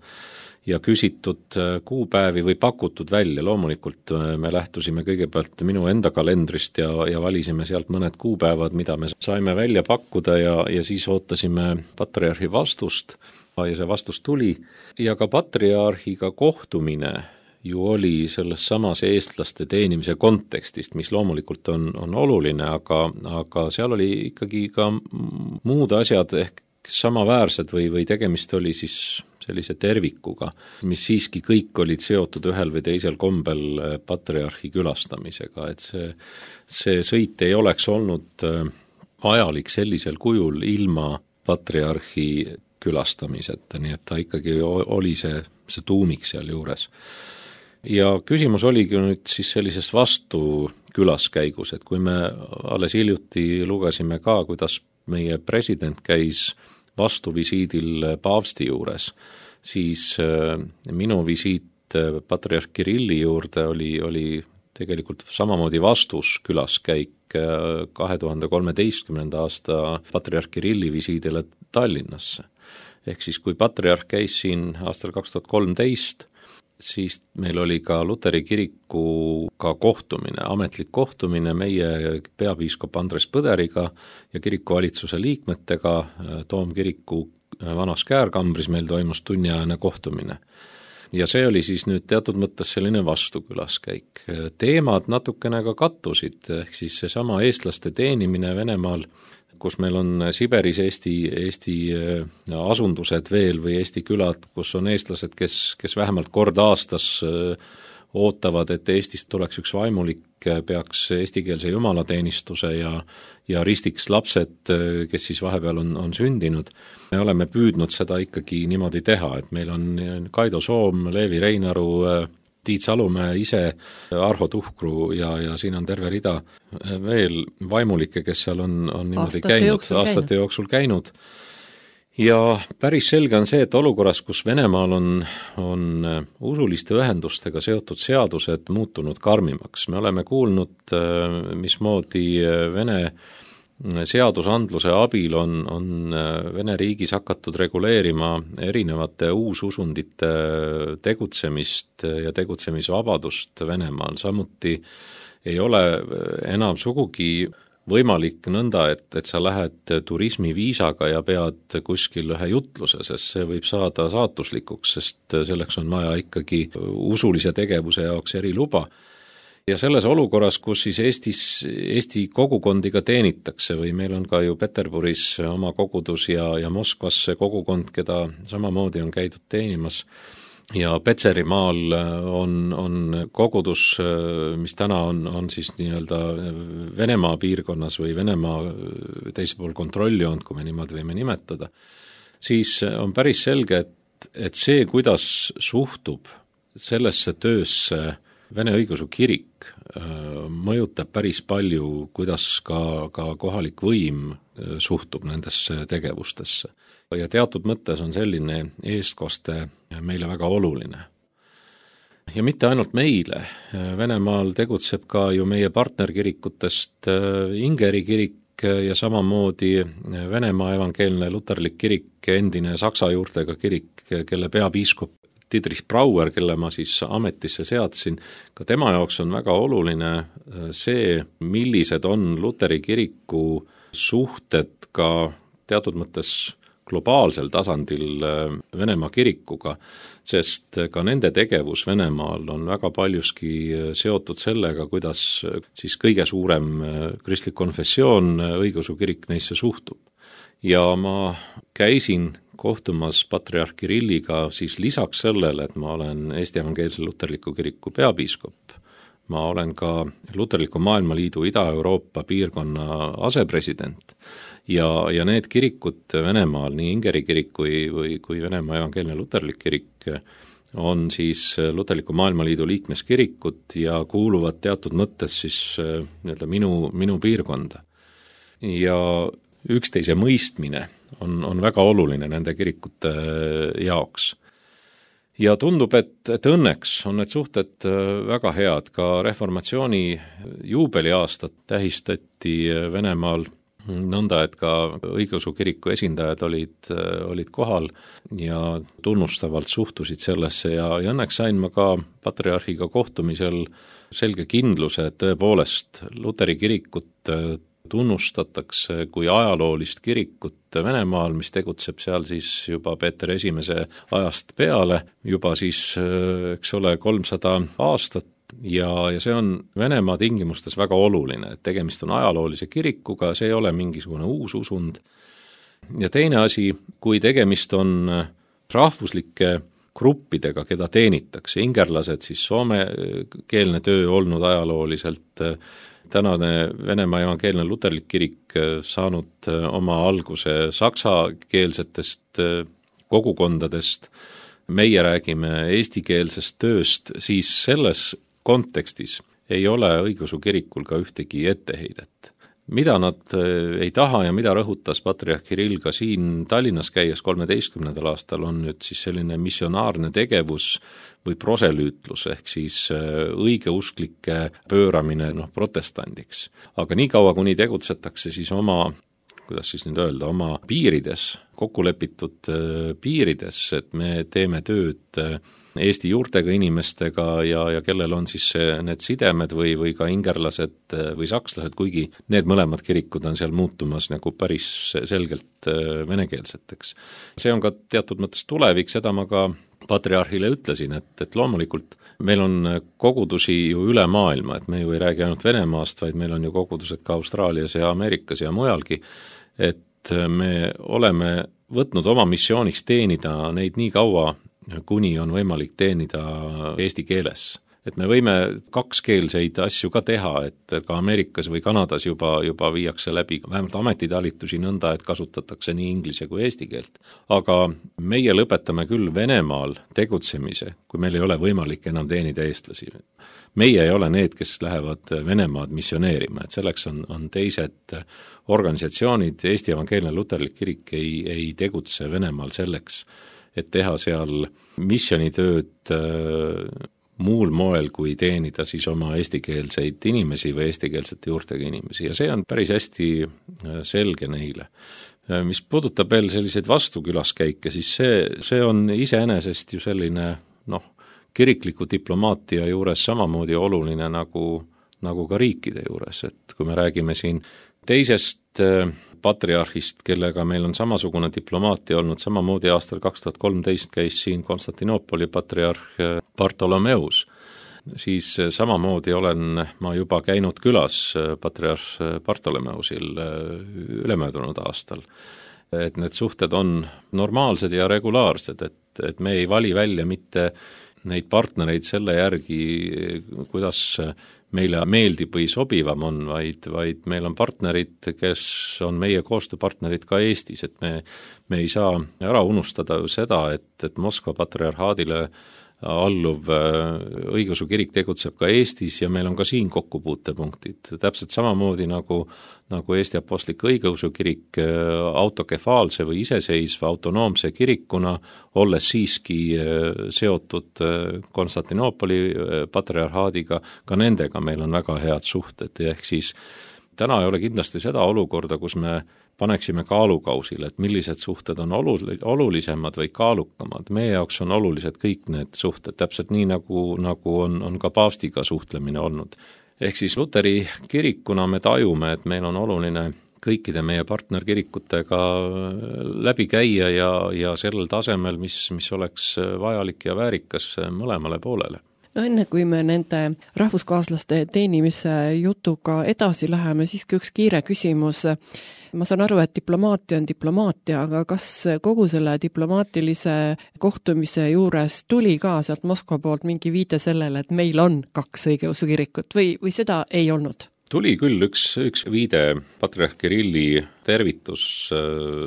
ja küsitud kuupäevi või pakutud välja. Loomulikult me lähtusime kõigepealt minu enda kalendrist ja, ja valisime sealt mõned kuupäevad, mida me saime välja pakkuda ja, ja siis ootasime patriarhi vastust ja see vastus tuli. Ja ka patriarhiga kohtumine ju oli selles samas eestlaste teenimise kontekstist, mis loomulikult on, on oluline, aga, aga seal oli ikkagi ka muud asjad ehk samaväärsed või, või tegemist oli siis sellise tervikuga, mis siiski kõik olid seotud ühel või teisel kombel patriarhi külastamisega, et see, see sõit ei oleks olnud ajalik sellisel kujul ilma patriarhi külastamiseta, nii et ta ikkagi oli see, see tuumik seal juures. Ja küsimus oligi nüüd siis sellises vastu külaskäigus, et kui me alles hiljuti lugesime ka, kuidas meie president käis vastuvisiidil paavsti juures, siis minu visiit patriarh Kirilli juurde oli, oli tegelikult samamoodi vastus külaskäik kahe tuhande kolmeteistkümnenda aasta patriarh Kirilli visiidile Tallinnasse. Ehk siis kui patriarh käis siin aastal kaks tuhat kolmteist, siis meil oli ka Luteri kirikuga kohtumine, ametlik kohtumine meie peapiiskop Andres Põderiga ja kirikuvalitsuse liikmetega. Toomkiriku vanas käärkambris meil toimus tunniajane kohtumine. Ja see oli siis nüüd teatud mõttes selline vastukülaskäik. Teemad natukene ka kattusid, ehk siis seesama eestlaste teenimine Venemaal, kus meil on Siberis Eesti, Eesti asundused veel või Eesti külad, kus on eestlased, kes, kes vähemalt kord aastas ootavad, et Eestist tuleks üks vaimulik, peaks eestikeelse jumalateenistuse ja, ja ristiks lapsed, kes siis vahepeal on, on sündinud. Me oleme püüdnud seda ikkagi niimoodi teha, et meil on Kaido Soom, Leevi Reinaru, Tiit Salumäe ise, Arho Tuhkru ja, ja siin on terve rida veel vaimulikke, kes seal on, on niimoodi aastate käinud, jooksul aastate käinud. jooksul käinud. Ja päris selge on see, et olukorras, kus Venemaal on, on usuliste ühendustega seotud seadused muutunud karmimaks. Me oleme kuulnud, mismoodi Vene seadusandluse abil on, on Vene riigis hakatud reguleerima erinevate uususundite tegutsemist ja tegutsemisvabadust Venemaal. Samuti ei ole enam sugugi võimalik nõnda, et, et sa lähed turismiviisaga ja pead kuskil ühe jutluse, sest see võib saada saatuslikuks, sest selleks on vaja ikkagi usulise tegevuse jaoks eriluba. Ja selles olukorras, kus siis Eestis, Eesti kogukondiga teenitakse või meil on ka ju Peterburis oma kogudus ja, ja Moskvas see kogukond, keda samamoodi on käidud teenimas, ja Petserimaal on, on kogudus, mis täna on, on siis nii-öelda Venemaa piirkonnas või Venemaa teise pool kontrolli olnud, kui me niimoodi võime nimetada, siis on päris selge, et et see, kuidas suhtub sellesse töösse Vene õigeusu kirik, mõjutab päris palju, kuidas ka, ka kohalik võim suhtub nendesse tegevustesse. Ja teatud mõttes on selline eestkoste meile väga oluline. Ja mitte ainult meile, Venemaal tegutseb ka ju meie partnerkirikutest Ingeri kirik ja samamoodi Venemaa evangeelne luterlik kirik, endine saksa juurtega kirik, kelle peapiiskop Dietrich Brauer, kelle ma siis ametisse seadsin, ka tema jaoks on väga oluline see, millised on luteri kiriku suhted ka teatud mõttes globaalsel tasandil Venemaa kirikuga, sest ka nende tegevus Venemaal on väga paljuski seotud sellega, kuidas siis kõige suurem kristlik konfessioon, õigeusu kirik neisse suhtub. Ja ma käisin kohtumas patriarh Kirilliga siis lisaks sellele, et ma olen Eesti Evangeelse Luterliku Kiriku peapiiskop. Ma olen ka Luterliku Maailmaliidu Ida-Euroopa piirkonna asepresident ja, ja need kirikud Venemaal, nii Ingeri kirik kui, või, kui Venemaa Evangeelne Luterlik kirik, on siis Luterliku Maailmaliidu liikmeskirikud ja kuuluvad teatud mõttes siis nii-öelda minu, minu piirkonda. Ja üksteise mõistmine on, on väga oluline nende kirikute jaoks. Ja tundub, et, et õnneks on need suhted väga head, ka reformatsiooni juubeliaastat tähistati Venemaal nõnda, et ka õigeusu kiriku esindajad olid, olid kohal ja tunnustavalt suhtusid sellesse ja, ja õnneks sain ma ka patriarhiga kohtumisel selge kindluse, et tõepoolest luteri kirikut tunnustatakse kui ajaloolist kirikut Venemaal, mis tegutseb seal siis juba Peeter Esimese ajast peale, juba siis, eks ole, kolmsada aastat ja, ja see on Venemaa tingimustes väga oluline, et tegemist on ajaloolise kirikuga, see ei ole mingisugune uus usund. Ja teine asi, kui tegemist on rahvuslike gruppidega, keda teenitakse, ingerlased, siis soomekeelne töö olnud ajalooliselt, tänane Venemaa evangeelne luterlik kirik saanud oma alguse saksakeelsetest kogukondadest, meie räägime eestikeelsest tööst, siis selles kontekstis ei ole õigeusu kirikul ka ühtegi etteheidet. Mida nad ei taha ja mida rõhutas patriarh Kirill ka siin Tallinnas käies kolmeteistkümnendal aastal, on nüüd siis selline missionaarne tegevus või proselüütlus, ehk siis õigeusklike pööramine noh, protestandiks. Aga nii kaua, kuni tegutsetakse siis oma, kuidas siis nüüd öelda, oma piirides, kokkulepitud piirides, et me teeme tööd Eesti juurtega inimestega ja, ja kellel on siis need sidemed või, või ka ingerlased või sakslased, kuigi need mõlemad kirikud on seal muutumas nagu päris selgelt venekeelseteks. See on ka teatud mõttes tulevik, seda ma ka patriarhile ütlesin, et, et loomulikult meil on kogudusi ju üle maailma, et me ju ei räägi ainult Venemaast, vaid meil on ju kogudused ka Austraalias ja Ameerikas ja mujalgi, et me oleme võtnud oma missiooniks teenida neid nii kaua, kuni on võimalik teenida eesti keeles. Et me võime kakskeelseid asju ka teha, et ka Ameerikas või Kanadas juba, juba viiakse läbi vähemalt ametitalitusi nõnda, et kasutatakse nii inglise kui eesti keelt. Aga meie lõpetame küll Venemaal tegutsemise, kui meil ei ole võimalik enam teenida eestlasi. Meie ei ole need, kes lähevad Venemaad missioneerima, et selleks on, on teised organisatsioonid, Eesti Evangeelne Luterlik Kirik ei, ei tegutse Venemaal selleks, et teha seal missionitööd muul moel, kui teenida siis oma eestikeelseid inimesi või eestikeelsete juurtega inimesi ja see on päris hästi selge neile. Mis puudutab veel selliseid vastukülaskäike, siis see, see on iseenesest ju selline noh, kirikliku diplomaatia juures samamoodi oluline nagu, nagu ka riikide juures, et kui me räägime siin teisest patriarhist, kellega meil on samasugune diplomaatia olnud, samamoodi aastal kaks tuhat kolmteist käis siin Konstantinoopoli patriarh Bartolomeus, siis samamoodi olen ma juba käinud külas patriarh Bartolomeusil ülemöödunud aastal. Et need suhted on normaalsed ja regulaarsed, et, et me ei vali välja mitte neid partnereid selle järgi, kuidas meile meeldib või sobivam on, vaid, vaid meil on partnerid, kes on meie koostööpartnerid ka Eestis, et me, me ei saa ära unustada ju seda, et, et Moskva patriarhaadile alluv õigeusu kirik tegutseb ka Eestis ja meil on ka siin kokkupuutepunktid. Täpselt samamoodi nagu, nagu Eesti Apostlik-Õigeusu kirik autokefaalse või iseseisva autonoomse kirikuna, olles siiski seotud Konstantinoopoli patriarhaadiga, ka nendega meil on väga head suhted, ehk siis täna ei ole kindlasti seda olukorda, kus me paneksime kaalukausile, et millised suhted on olulisemad või kaalukamad. Meie jaoks on olulised kõik need suhted, täpselt nii, nagu, nagu on, on ka paavstiga suhtlemine olnud. Ehk siis Luteri kirikuna me tajume, et meil on oluline kõikide meie partnerkirikutega läbi käia ja, ja sellel tasemel, mis, mis oleks vajalik ja väärikas mõlemale poolele. No enne kui me nende rahvuskaaslaste teenimise jutuga edasi läheme, siiski üks kiire küsimus. Ma saan aru, et diplomaatia on diplomaatia, aga kas kogu selle diplomaatilise kohtumise juures tuli ka sealt Moskva poolt mingi viide sellele, et meil on kaks õigeusu kirikut või, või seda ei olnud? Tuli küll üks, üks viide patriarh Kirilli tervitus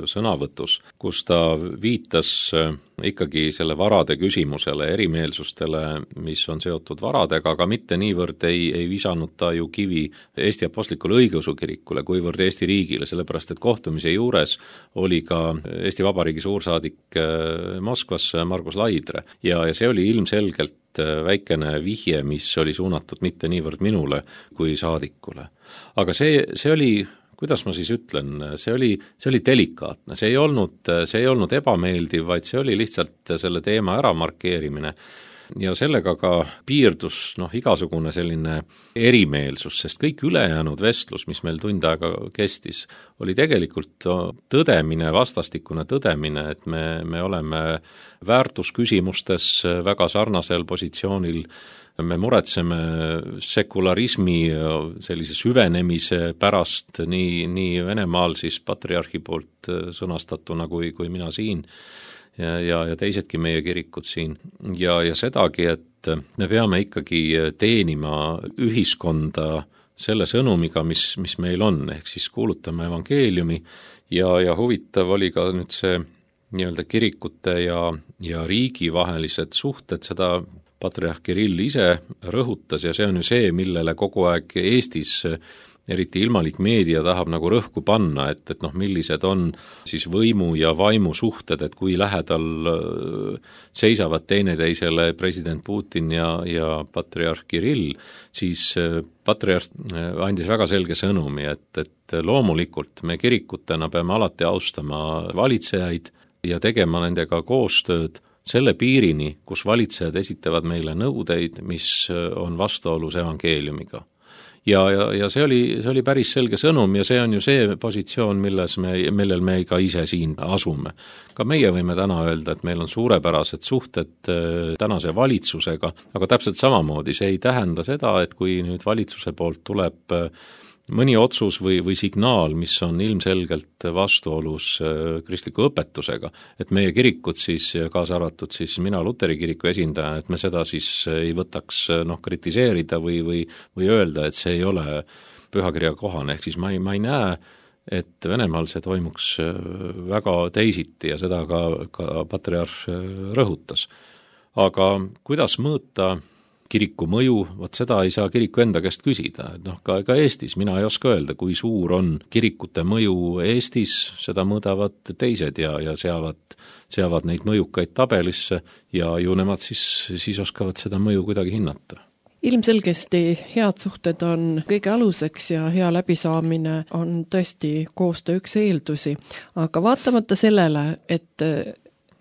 sõnavõtus, kus ta viitas ikkagi selle varade küsimusele, erimeelsustele, mis on seotud varadega, aga mitte niivõrd ei, ei visanud ta ju kivi Eesti Apostlikule Õigeusu kirikule, kuivõrd Eesti riigile, sellepärast et kohtumise juures oli ka Eesti Vabariigi suursaadik Moskvas Margus Laidre ja, ja see oli ilmselgelt väikene vihje, mis oli suunatud mitte niivõrd minule kui saadikule. Aga see, see oli, kuidas ma siis ütlen, see oli, see oli delikaatne, see ei olnud, see ei olnud ebameeldiv, vaid see oli lihtsalt selle teema ära markeerimine. Ja sellega ka piirdus noh, igasugune selline erimeelsus, sest kõik ülejäänud vestlus, mis meil tund aega kestis, oli tegelikult tõdemine, vastastikune tõdemine, et me, me oleme väärtusküsimustes väga sarnasel positsioonil, me muretseme sekularismi sellise süvenemise pärast nii, nii Venemaal siis patriarhi poolt sõnastatuna kui, kui mina siin, ja, ja, ja teisedki meie kirikud siin. Ja, ja sedagi, et me peame ikkagi teenima ühiskonda selle sõnumiga, mis, mis meil on, ehk siis kuulutame evangeeliumi ja, ja huvitav oli ka nüüd see nii-öelda kirikute ja, ja riigi vahelised suhted, seda patriarh Kirill ise rõhutas ja see on ju see, millele kogu aeg Eestis eriti ilmalik meedia tahab nagu rõhku panna, et, et noh, millised on siis võimu ja vaimu suhted, et kui lähedal seisavad teineteisele president Putin ja, ja patriarh Kirill, siis patriarh andis väga selge sõnumi, et, et loomulikult me kirikutena peame alati austama valitsejaid ja tegema nendega koostööd selle piirini, kus valitsejad esitavad meile nõudeid, mis on vastuolus evangeeliumiga. Ja, ja, ja see oli, see oli päris selge sõnum ja see on ju see positsioon, milles me, millel me ka ise siin asume. Ka meie võime täna öelda, et meil on suurepärased suhted tänase valitsusega, aga täpselt samamoodi see ei tähenda seda, et kui nüüd valitsuse poolt tuleb mõni otsus või, või signaal, mis on ilmselgelt vastuolus kristliku õpetusega, et meie kirikud siis, kaasa arvatud siis mina Luteri kiriku esindaja, et me seda siis ei võtaks noh, kritiseerida või, või, või öelda, et see ei ole pühakirja kohane, ehk siis ma ei, ma ei näe, et Venemaal see toimuks väga teisiti ja seda ka, ka patriarh rõhutas. Aga kuidas mõõta kiriku mõju, vot seda ei saa kiriku enda käest küsida, et noh, ka, ka Eestis, mina ei oska öelda, kui suur on kirikute mõju Eestis, seda mõõdavad teised ja, ja seavad, seavad neid mõjukaid tabelisse ja ju nemad siis, siis oskavad seda mõju kuidagi hinnata. Ilmselgesti head suhted on kõige aluseks ja hea läbisaamine on tõesti koostöö üks eeldusi, aga vaatamata sellele, et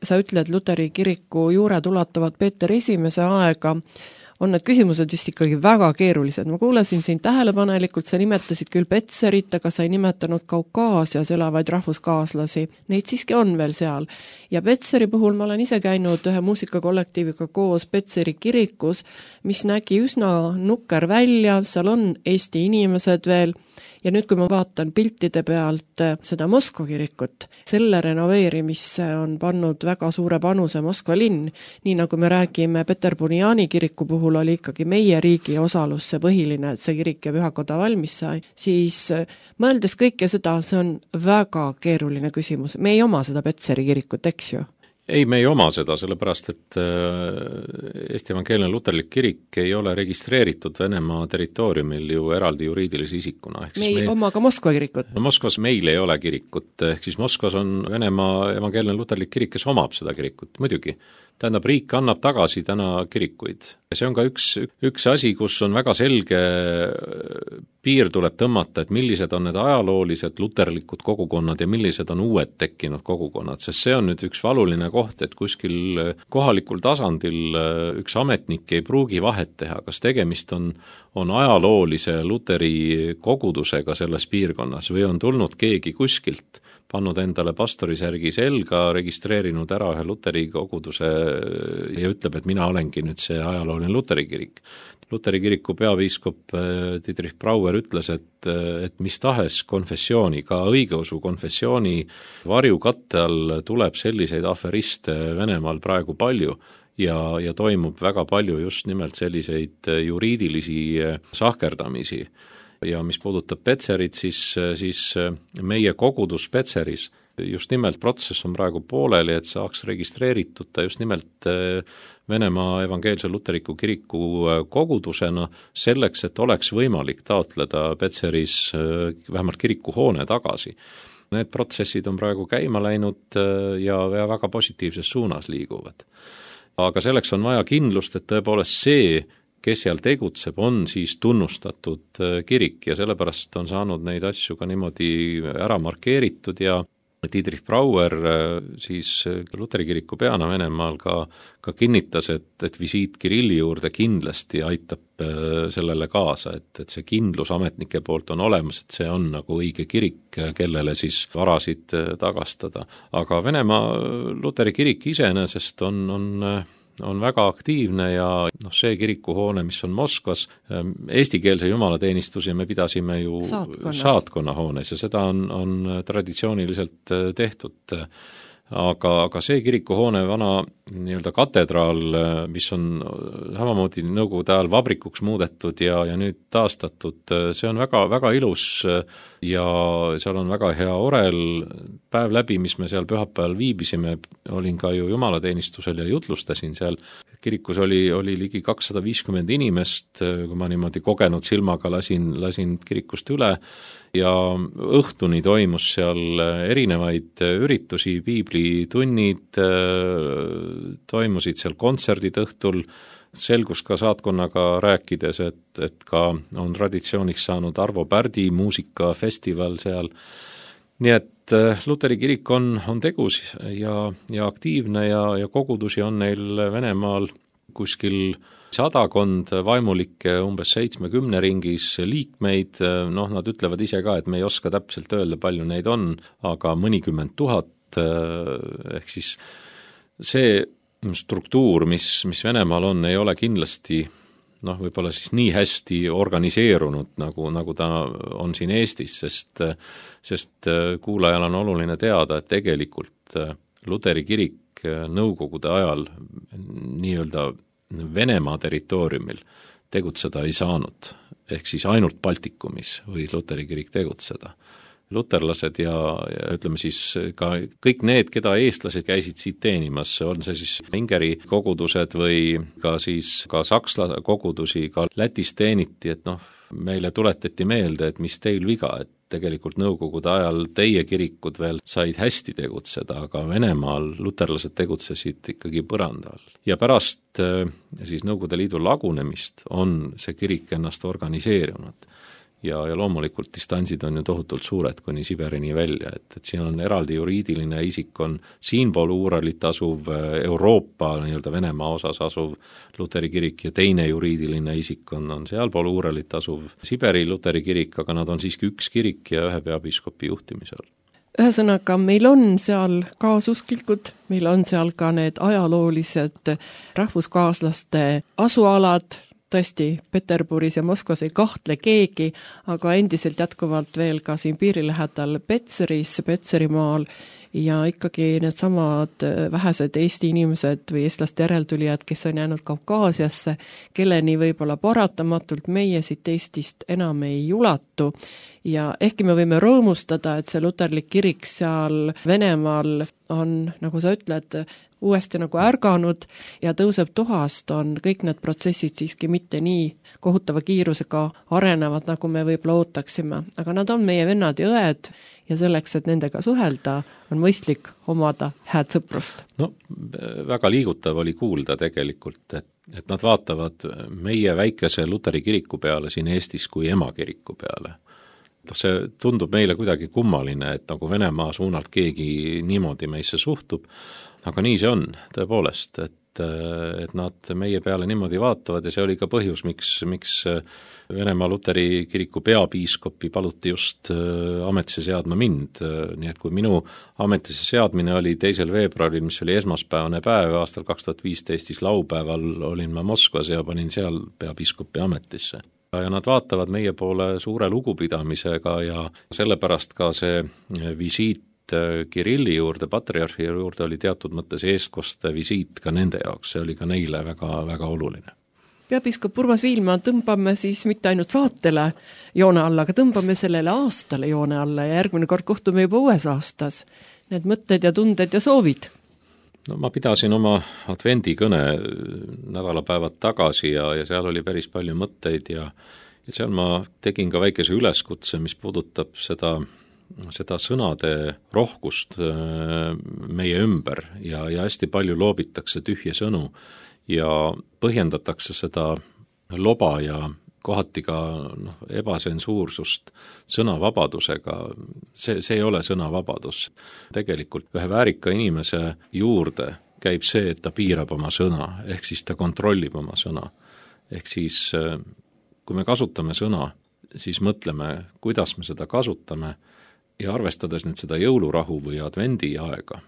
sa ütled Luteri kiriku juured ulatuvad Peeter esimese aega, on need küsimused vist ikkagi väga keerulised. Ma kuulasin siin tähelepanelikult, sa nimetasid küll Petserit, aga sa ei nimetanud Kaukaasias elavaid rahvuskaaslasi. Neid siiski on veel seal. Ja Petseri puhul ma olen ise käinud ühe muusikakollektiiviga koos Petseri kirikus, mis nägi üsna nukker välja, seal on Eesti inimesed veel, ja nüüd, kui ma vaatan piltide pealt seda Moskva kirikut, selle renoveerimisse on pannud väga suure panuse Moskva linn, nii nagu me räägime Peterburiani kiriku puhul oli ikkagi meie riigi osalus see põhiline, et see kirik ja pühakoda valmis sai, siis mõeldes kõike seda, see on väga keeruline küsimus. Me ei oma seda Petseri kirikut, eks ju? Ei, me ei oma seda, sellepärast, et Eesti Evangeelne Luterlik kirik ei ole registreeritud Venemaa territooriumil ju eraldi juriidilise isikuna. Me ei meil... oma ka Moskva kirikut? No Moskvas meil ei ole kirikut, ehk siis Moskvas on Venemaa Evangeelne Luterlik kirik, kes omab seda kirikut, muidugi. Tähendab, riik annab tagasi täna kirikuid. See on ka üks, üks asi, kus on väga selge piir tuleb tõmmata, et millised on need ajaloolised luterlikud kogukonnad ja millised on uued tekkinud kogukonnad, sest see on nüüd üks valuline koht, et kuskil kohalikul tasandil üks ametnik ei pruugi vahet teha, kas tegemist on, on ajaloolise luteri kogudusega selles piirkonnas või on tulnud keegi kuskilt, pannud endale pastorisärgi selga, registreerinud ära ühe luteri koguduse ja ütleb, et mina olengi nüüd see ajalooline luteri kirik. Luteri kiriku peapiiskop Dietrich Brauer ütles, et, et mis tahes konfessiooni, ka õigeusu konfessiooni varjukatte all tuleb selliseid aferiste Venemaal praegu palju ja, ja toimub väga palju just nimelt selliseid juriidilisi sahkerdamisi. Ja mis puudutab Petserit, siis, siis meie kogudus Petseris, just nimelt protsess on praegu pooleli, et saaks registreeritud ta just nimelt Venemaa Evangeelse Luteriku kiriku kogudusena selleks, et oleks võimalik taotleda Petseris vähemalt kirikuhoone tagasi. Need protsessid on praegu käima läinud ja, ja väga positiivses suunas liiguvad. Aga selleks on vaja kindlust, et tõepoolest see, kes seal tegutseb, on siis tunnustatud kirik ja sellepärast on saanud neid asju ka niimoodi ära markeeritud ja Dietrich Brauer siis Luteri kiriku peana Venemaal ka, ka kinnitas, et, et visiit Kirilli juurde kindlasti aitab sellele kaasa, et, et see kindlus ametnike poolt on olemas, et see on nagu õige kirik, kellele siis varasid tagastada. Aga Venemaa Luteri kirik iseenesest on, on on väga aktiivne ja noh, see kirikuhoone, mis on Moskvas, eestikeelse jumalateenistuse me pidasime ju saatkonnahoones ja seda on, on traditsiooniliselt tehtud. Aga, aga see kirikuhoone vana nii-öelda katedraal, mis on samamoodi nõukogude ajal vabrikuks muudetud ja, ja nüüd taastatud, see on väga, väga ilus ja seal on väga hea orel. Päev läbi, mis me seal pühapäeval viibisime, olin ka ju jumalateenistusel ja jutlustasin seal. Kirikus oli, oli ligi kakssada viiskümmend inimest, kui ma niimoodi kogenud silmaga lasin, lasin kirikust üle ja õhtuni toimus seal erinevaid üritusi, piiblitunnid, toimusid seal kontserdid õhtul, selgus ka saatkonnaga rääkides, et, et ka on traditsiooniks saanud Arvo Pärdi muusikafestival seal. Nii et Luteri kirik on, on tegus ja, ja aktiivne ja, ja kogudusi on neil Venemaal kuskil sadakond vaimulikke umbes seitsmekümne ringis liikmeid, noh, nad ütlevad ise ka, et me ei oska täpselt öelda, palju neid on, aga mõnikümmend tuhat, ehk siis see struktuur, mis, mis Venemaal on, ei ole kindlasti noh, võib-olla siis nii hästi organiseerunud, nagu, nagu ta on siin Eestis, sest, sest kuulajal on oluline teada, et tegelikult Luteri kirik nõukogude ajal nii-öelda Venemaa territooriumil tegutseda ei saanud, ehk siis ainult Baltikumis võis Luteri kirik tegutseda. Luterlased ja, ja ütleme siis ka kõik need, keda eestlased käisid siit teenimas, on see siis Ingeri kogudused või ka siis ka saksla kogudusi, ka Lätis teeniti, et noh, meile tuletati meelde, et mis teil viga, et tegelikult nõukogude ajal teie kirikud veel said hästi tegutseda, aga Venemaal luterlased tegutsesid ikkagi põranda all. Ja pärast siis Nõukogude Liidu lagunemist on see kirik ennast organiseerunud. Ja, ja loomulikult distantsid on ju tohutult suured kuni Siberini välja, et, et siin on eraldi juriidiline isik, on siinpool Uuralit asuv Euroopa nii-öelda Venemaa osas asuv Luteri kirik ja teine juriidiline isik on, on sealpool Uuralit asuv Siberi Luteri kirik, aga nad on siiski üks kirik ja ühe peapiiskopi juhtimisel. Ühesõnaga, meil on seal kaasusklikud, meil on seal ka need ajaloolised rahvuskaaslaste asualad, tõesti Peterburis ja Moskvas ei kahtle keegi, aga endiselt jätkuvalt veel ka siin piiri lähedal Petseris, Petserimaal ja ikkagi need samad vähesed Eesti inimesed või eestlaste järeltulijad, kes on jäänud Kaukaasiasse, kelleni võib-olla paratamatult meie siit Eestist enam ei ulatu. Ja ehkki me võime rõõmustada, et see luterlik kirik seal Venemaal on, nagu sa ütled, uuesti nagu ärganud ja tõuseb tuhast, on kõik need protsessid siiski mitte nii kohutava kiirusega arenevad, nagu me võib-olla ootaksime. Aga nad on meie vennad ja õed ja selleks, et nendega suhelda, on mõistlik omada hääd sõprust. No väga liigutav oli kuulda tegelikult, et, et nad vaatavad meie väikese luteri kiriku peale siin Eestis kui emakiriku peale. See tundub meile kuidagi kummaline, et nagu Venemaa suunalt keegi niimoodi meisse suhtub, aga nii see on tõepoolest, et, et nad meie peale niimoodi vaatavad ja see oli ka põhjus, miks, miks Venemaa luteri kiriku peapiiskopi paluti just ametisse seadma mind, nii et kui minu ametisse seadmine oli teisel veebruaril, mis oli esmaspäevane päev aastal kaks tuhat viisteist, siis laupäeval olin ma Moskvas ja panin seal peapiiskopi ametisse. Ja nad vaatavad meie poole suure lugupidamisega ja sellepärast ka see visiit Kirilli juurde, patriarhi juurde oli teatud mõttes eestkoste visiit ka nende jaoks, see oli ka neile väga, väga oluline. Peapiiskop Urmas Viilma tõmbame siis mitte ainult saatele joone alla, aga tõmbame sellele aastale joone alla ja järgmine kord kohtume juba uues aastas. Need mõtted ja tunded ja soovid. No ma pidasin oma advendikõne nädalapäevad tagasi ja, ja seal oli päris palju mõtteid ja, ja seal ma tegin ka väikese üleskutse, mis puudutab seda seda sõnade rohkust meie ümber ja, ja hästi palju loobitakse tühje sõnu ja põhjendatakse seda loba ja kohati ka noh, ebasensuursust sõnavabadusega. See, see ei ole sõnavabadus. Tegelikult ühe väärika inimese juurde käib see, et ta piirab oma sõna, ehk siis ta kontrollib oma sõna. Ehk siis, kui me kasutame sõna, siis mõtleme, kuidas me seda kasutame ja arvestades nüüd seda jõulurahu või advendi aega,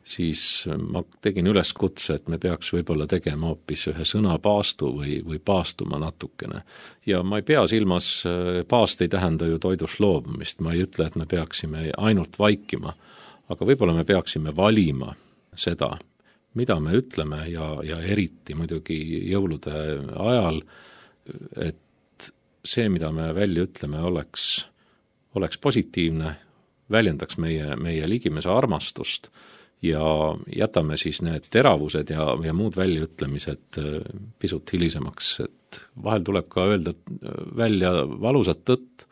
siis ma tegin üleskutse, et me peaks võib-olla tegema hoopis ühe sõnapaastu või, või paastuma natukene. Ja ma ei pea silmas, paast ei tähenda ju toidust loobumist, ma ei ütle, et me peaksime ainult vaikima, aga võib-olla me peaksime valima seda, mida me ütleme ja, ja eriti muidugi jõulude ajal, et see, mida me välja ütleme, oleks, oleks positiivne, väljendaks meie, meie ligimese armastust ja jätame siis need teravused ja, ja muud väljaütlemised pisut hilisemaks, et vahel tuleb ka öelda välja valusat tõtt,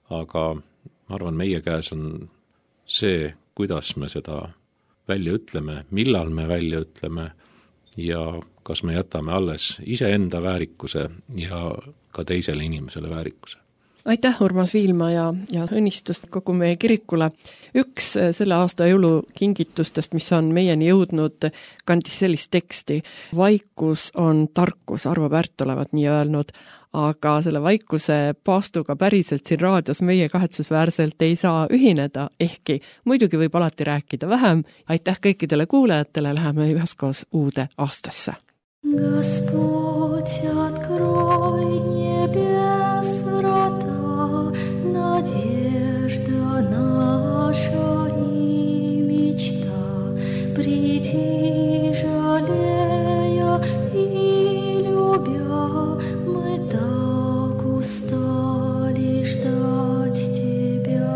aga ma arvan, meie käes on see, kuidas me seda välja ütleme, millal me välja ütleme ja kas me jätame alles iseenda väärikuse ja ka teisele inimesele väärikuse. Aitäh, Urmas Viilma ja, ja õnnistust kogu meie kirikule. Üks selle aasta jõulukingitustest, mis on meieni jõudnud, kandis sellist teksti. Vaikus on tarkus, Arvo Pärt olevat nii öelnud, aga selle vaikuse paastuga päriselt siin raadios meie kahetsusväärselt ei saa ühineda, ehkki muidugi võib alati rääkida vähem. Aitäh kõikidele kuulajatele, läheme üheskoos uude aastasse. Gospodь, открой небес врата, надежда наша и мечта, приди, жалея и любя, мы так устали ждать тебя.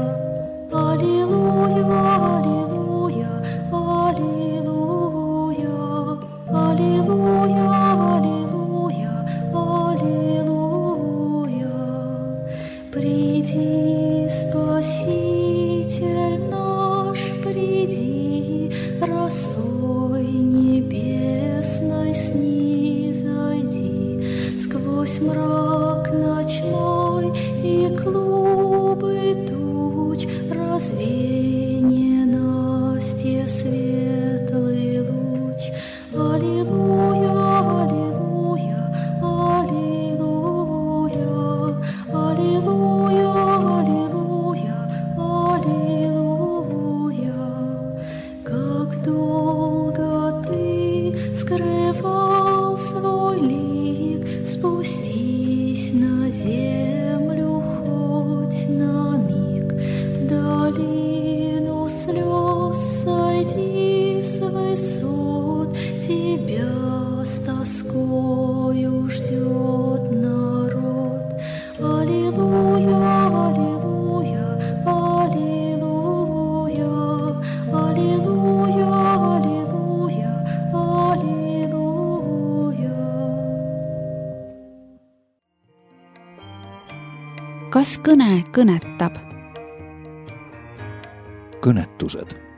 Аллилуйя, аллилуйя, аллилуйя, аллилуйя, аллилуйя, аллилуйя. Приди, Спаситель наш, приди, росой небесной снизойди, сквозь мрак ночной и клубы туч развей ненастье светлый луч. Аллилуйя, аллилуйя, аллилуйя, аллилуйя, аллилуйя, аллилуйя. Как долго ты скрывал свой лик, спусти kas kõne kõnetab? kõnetused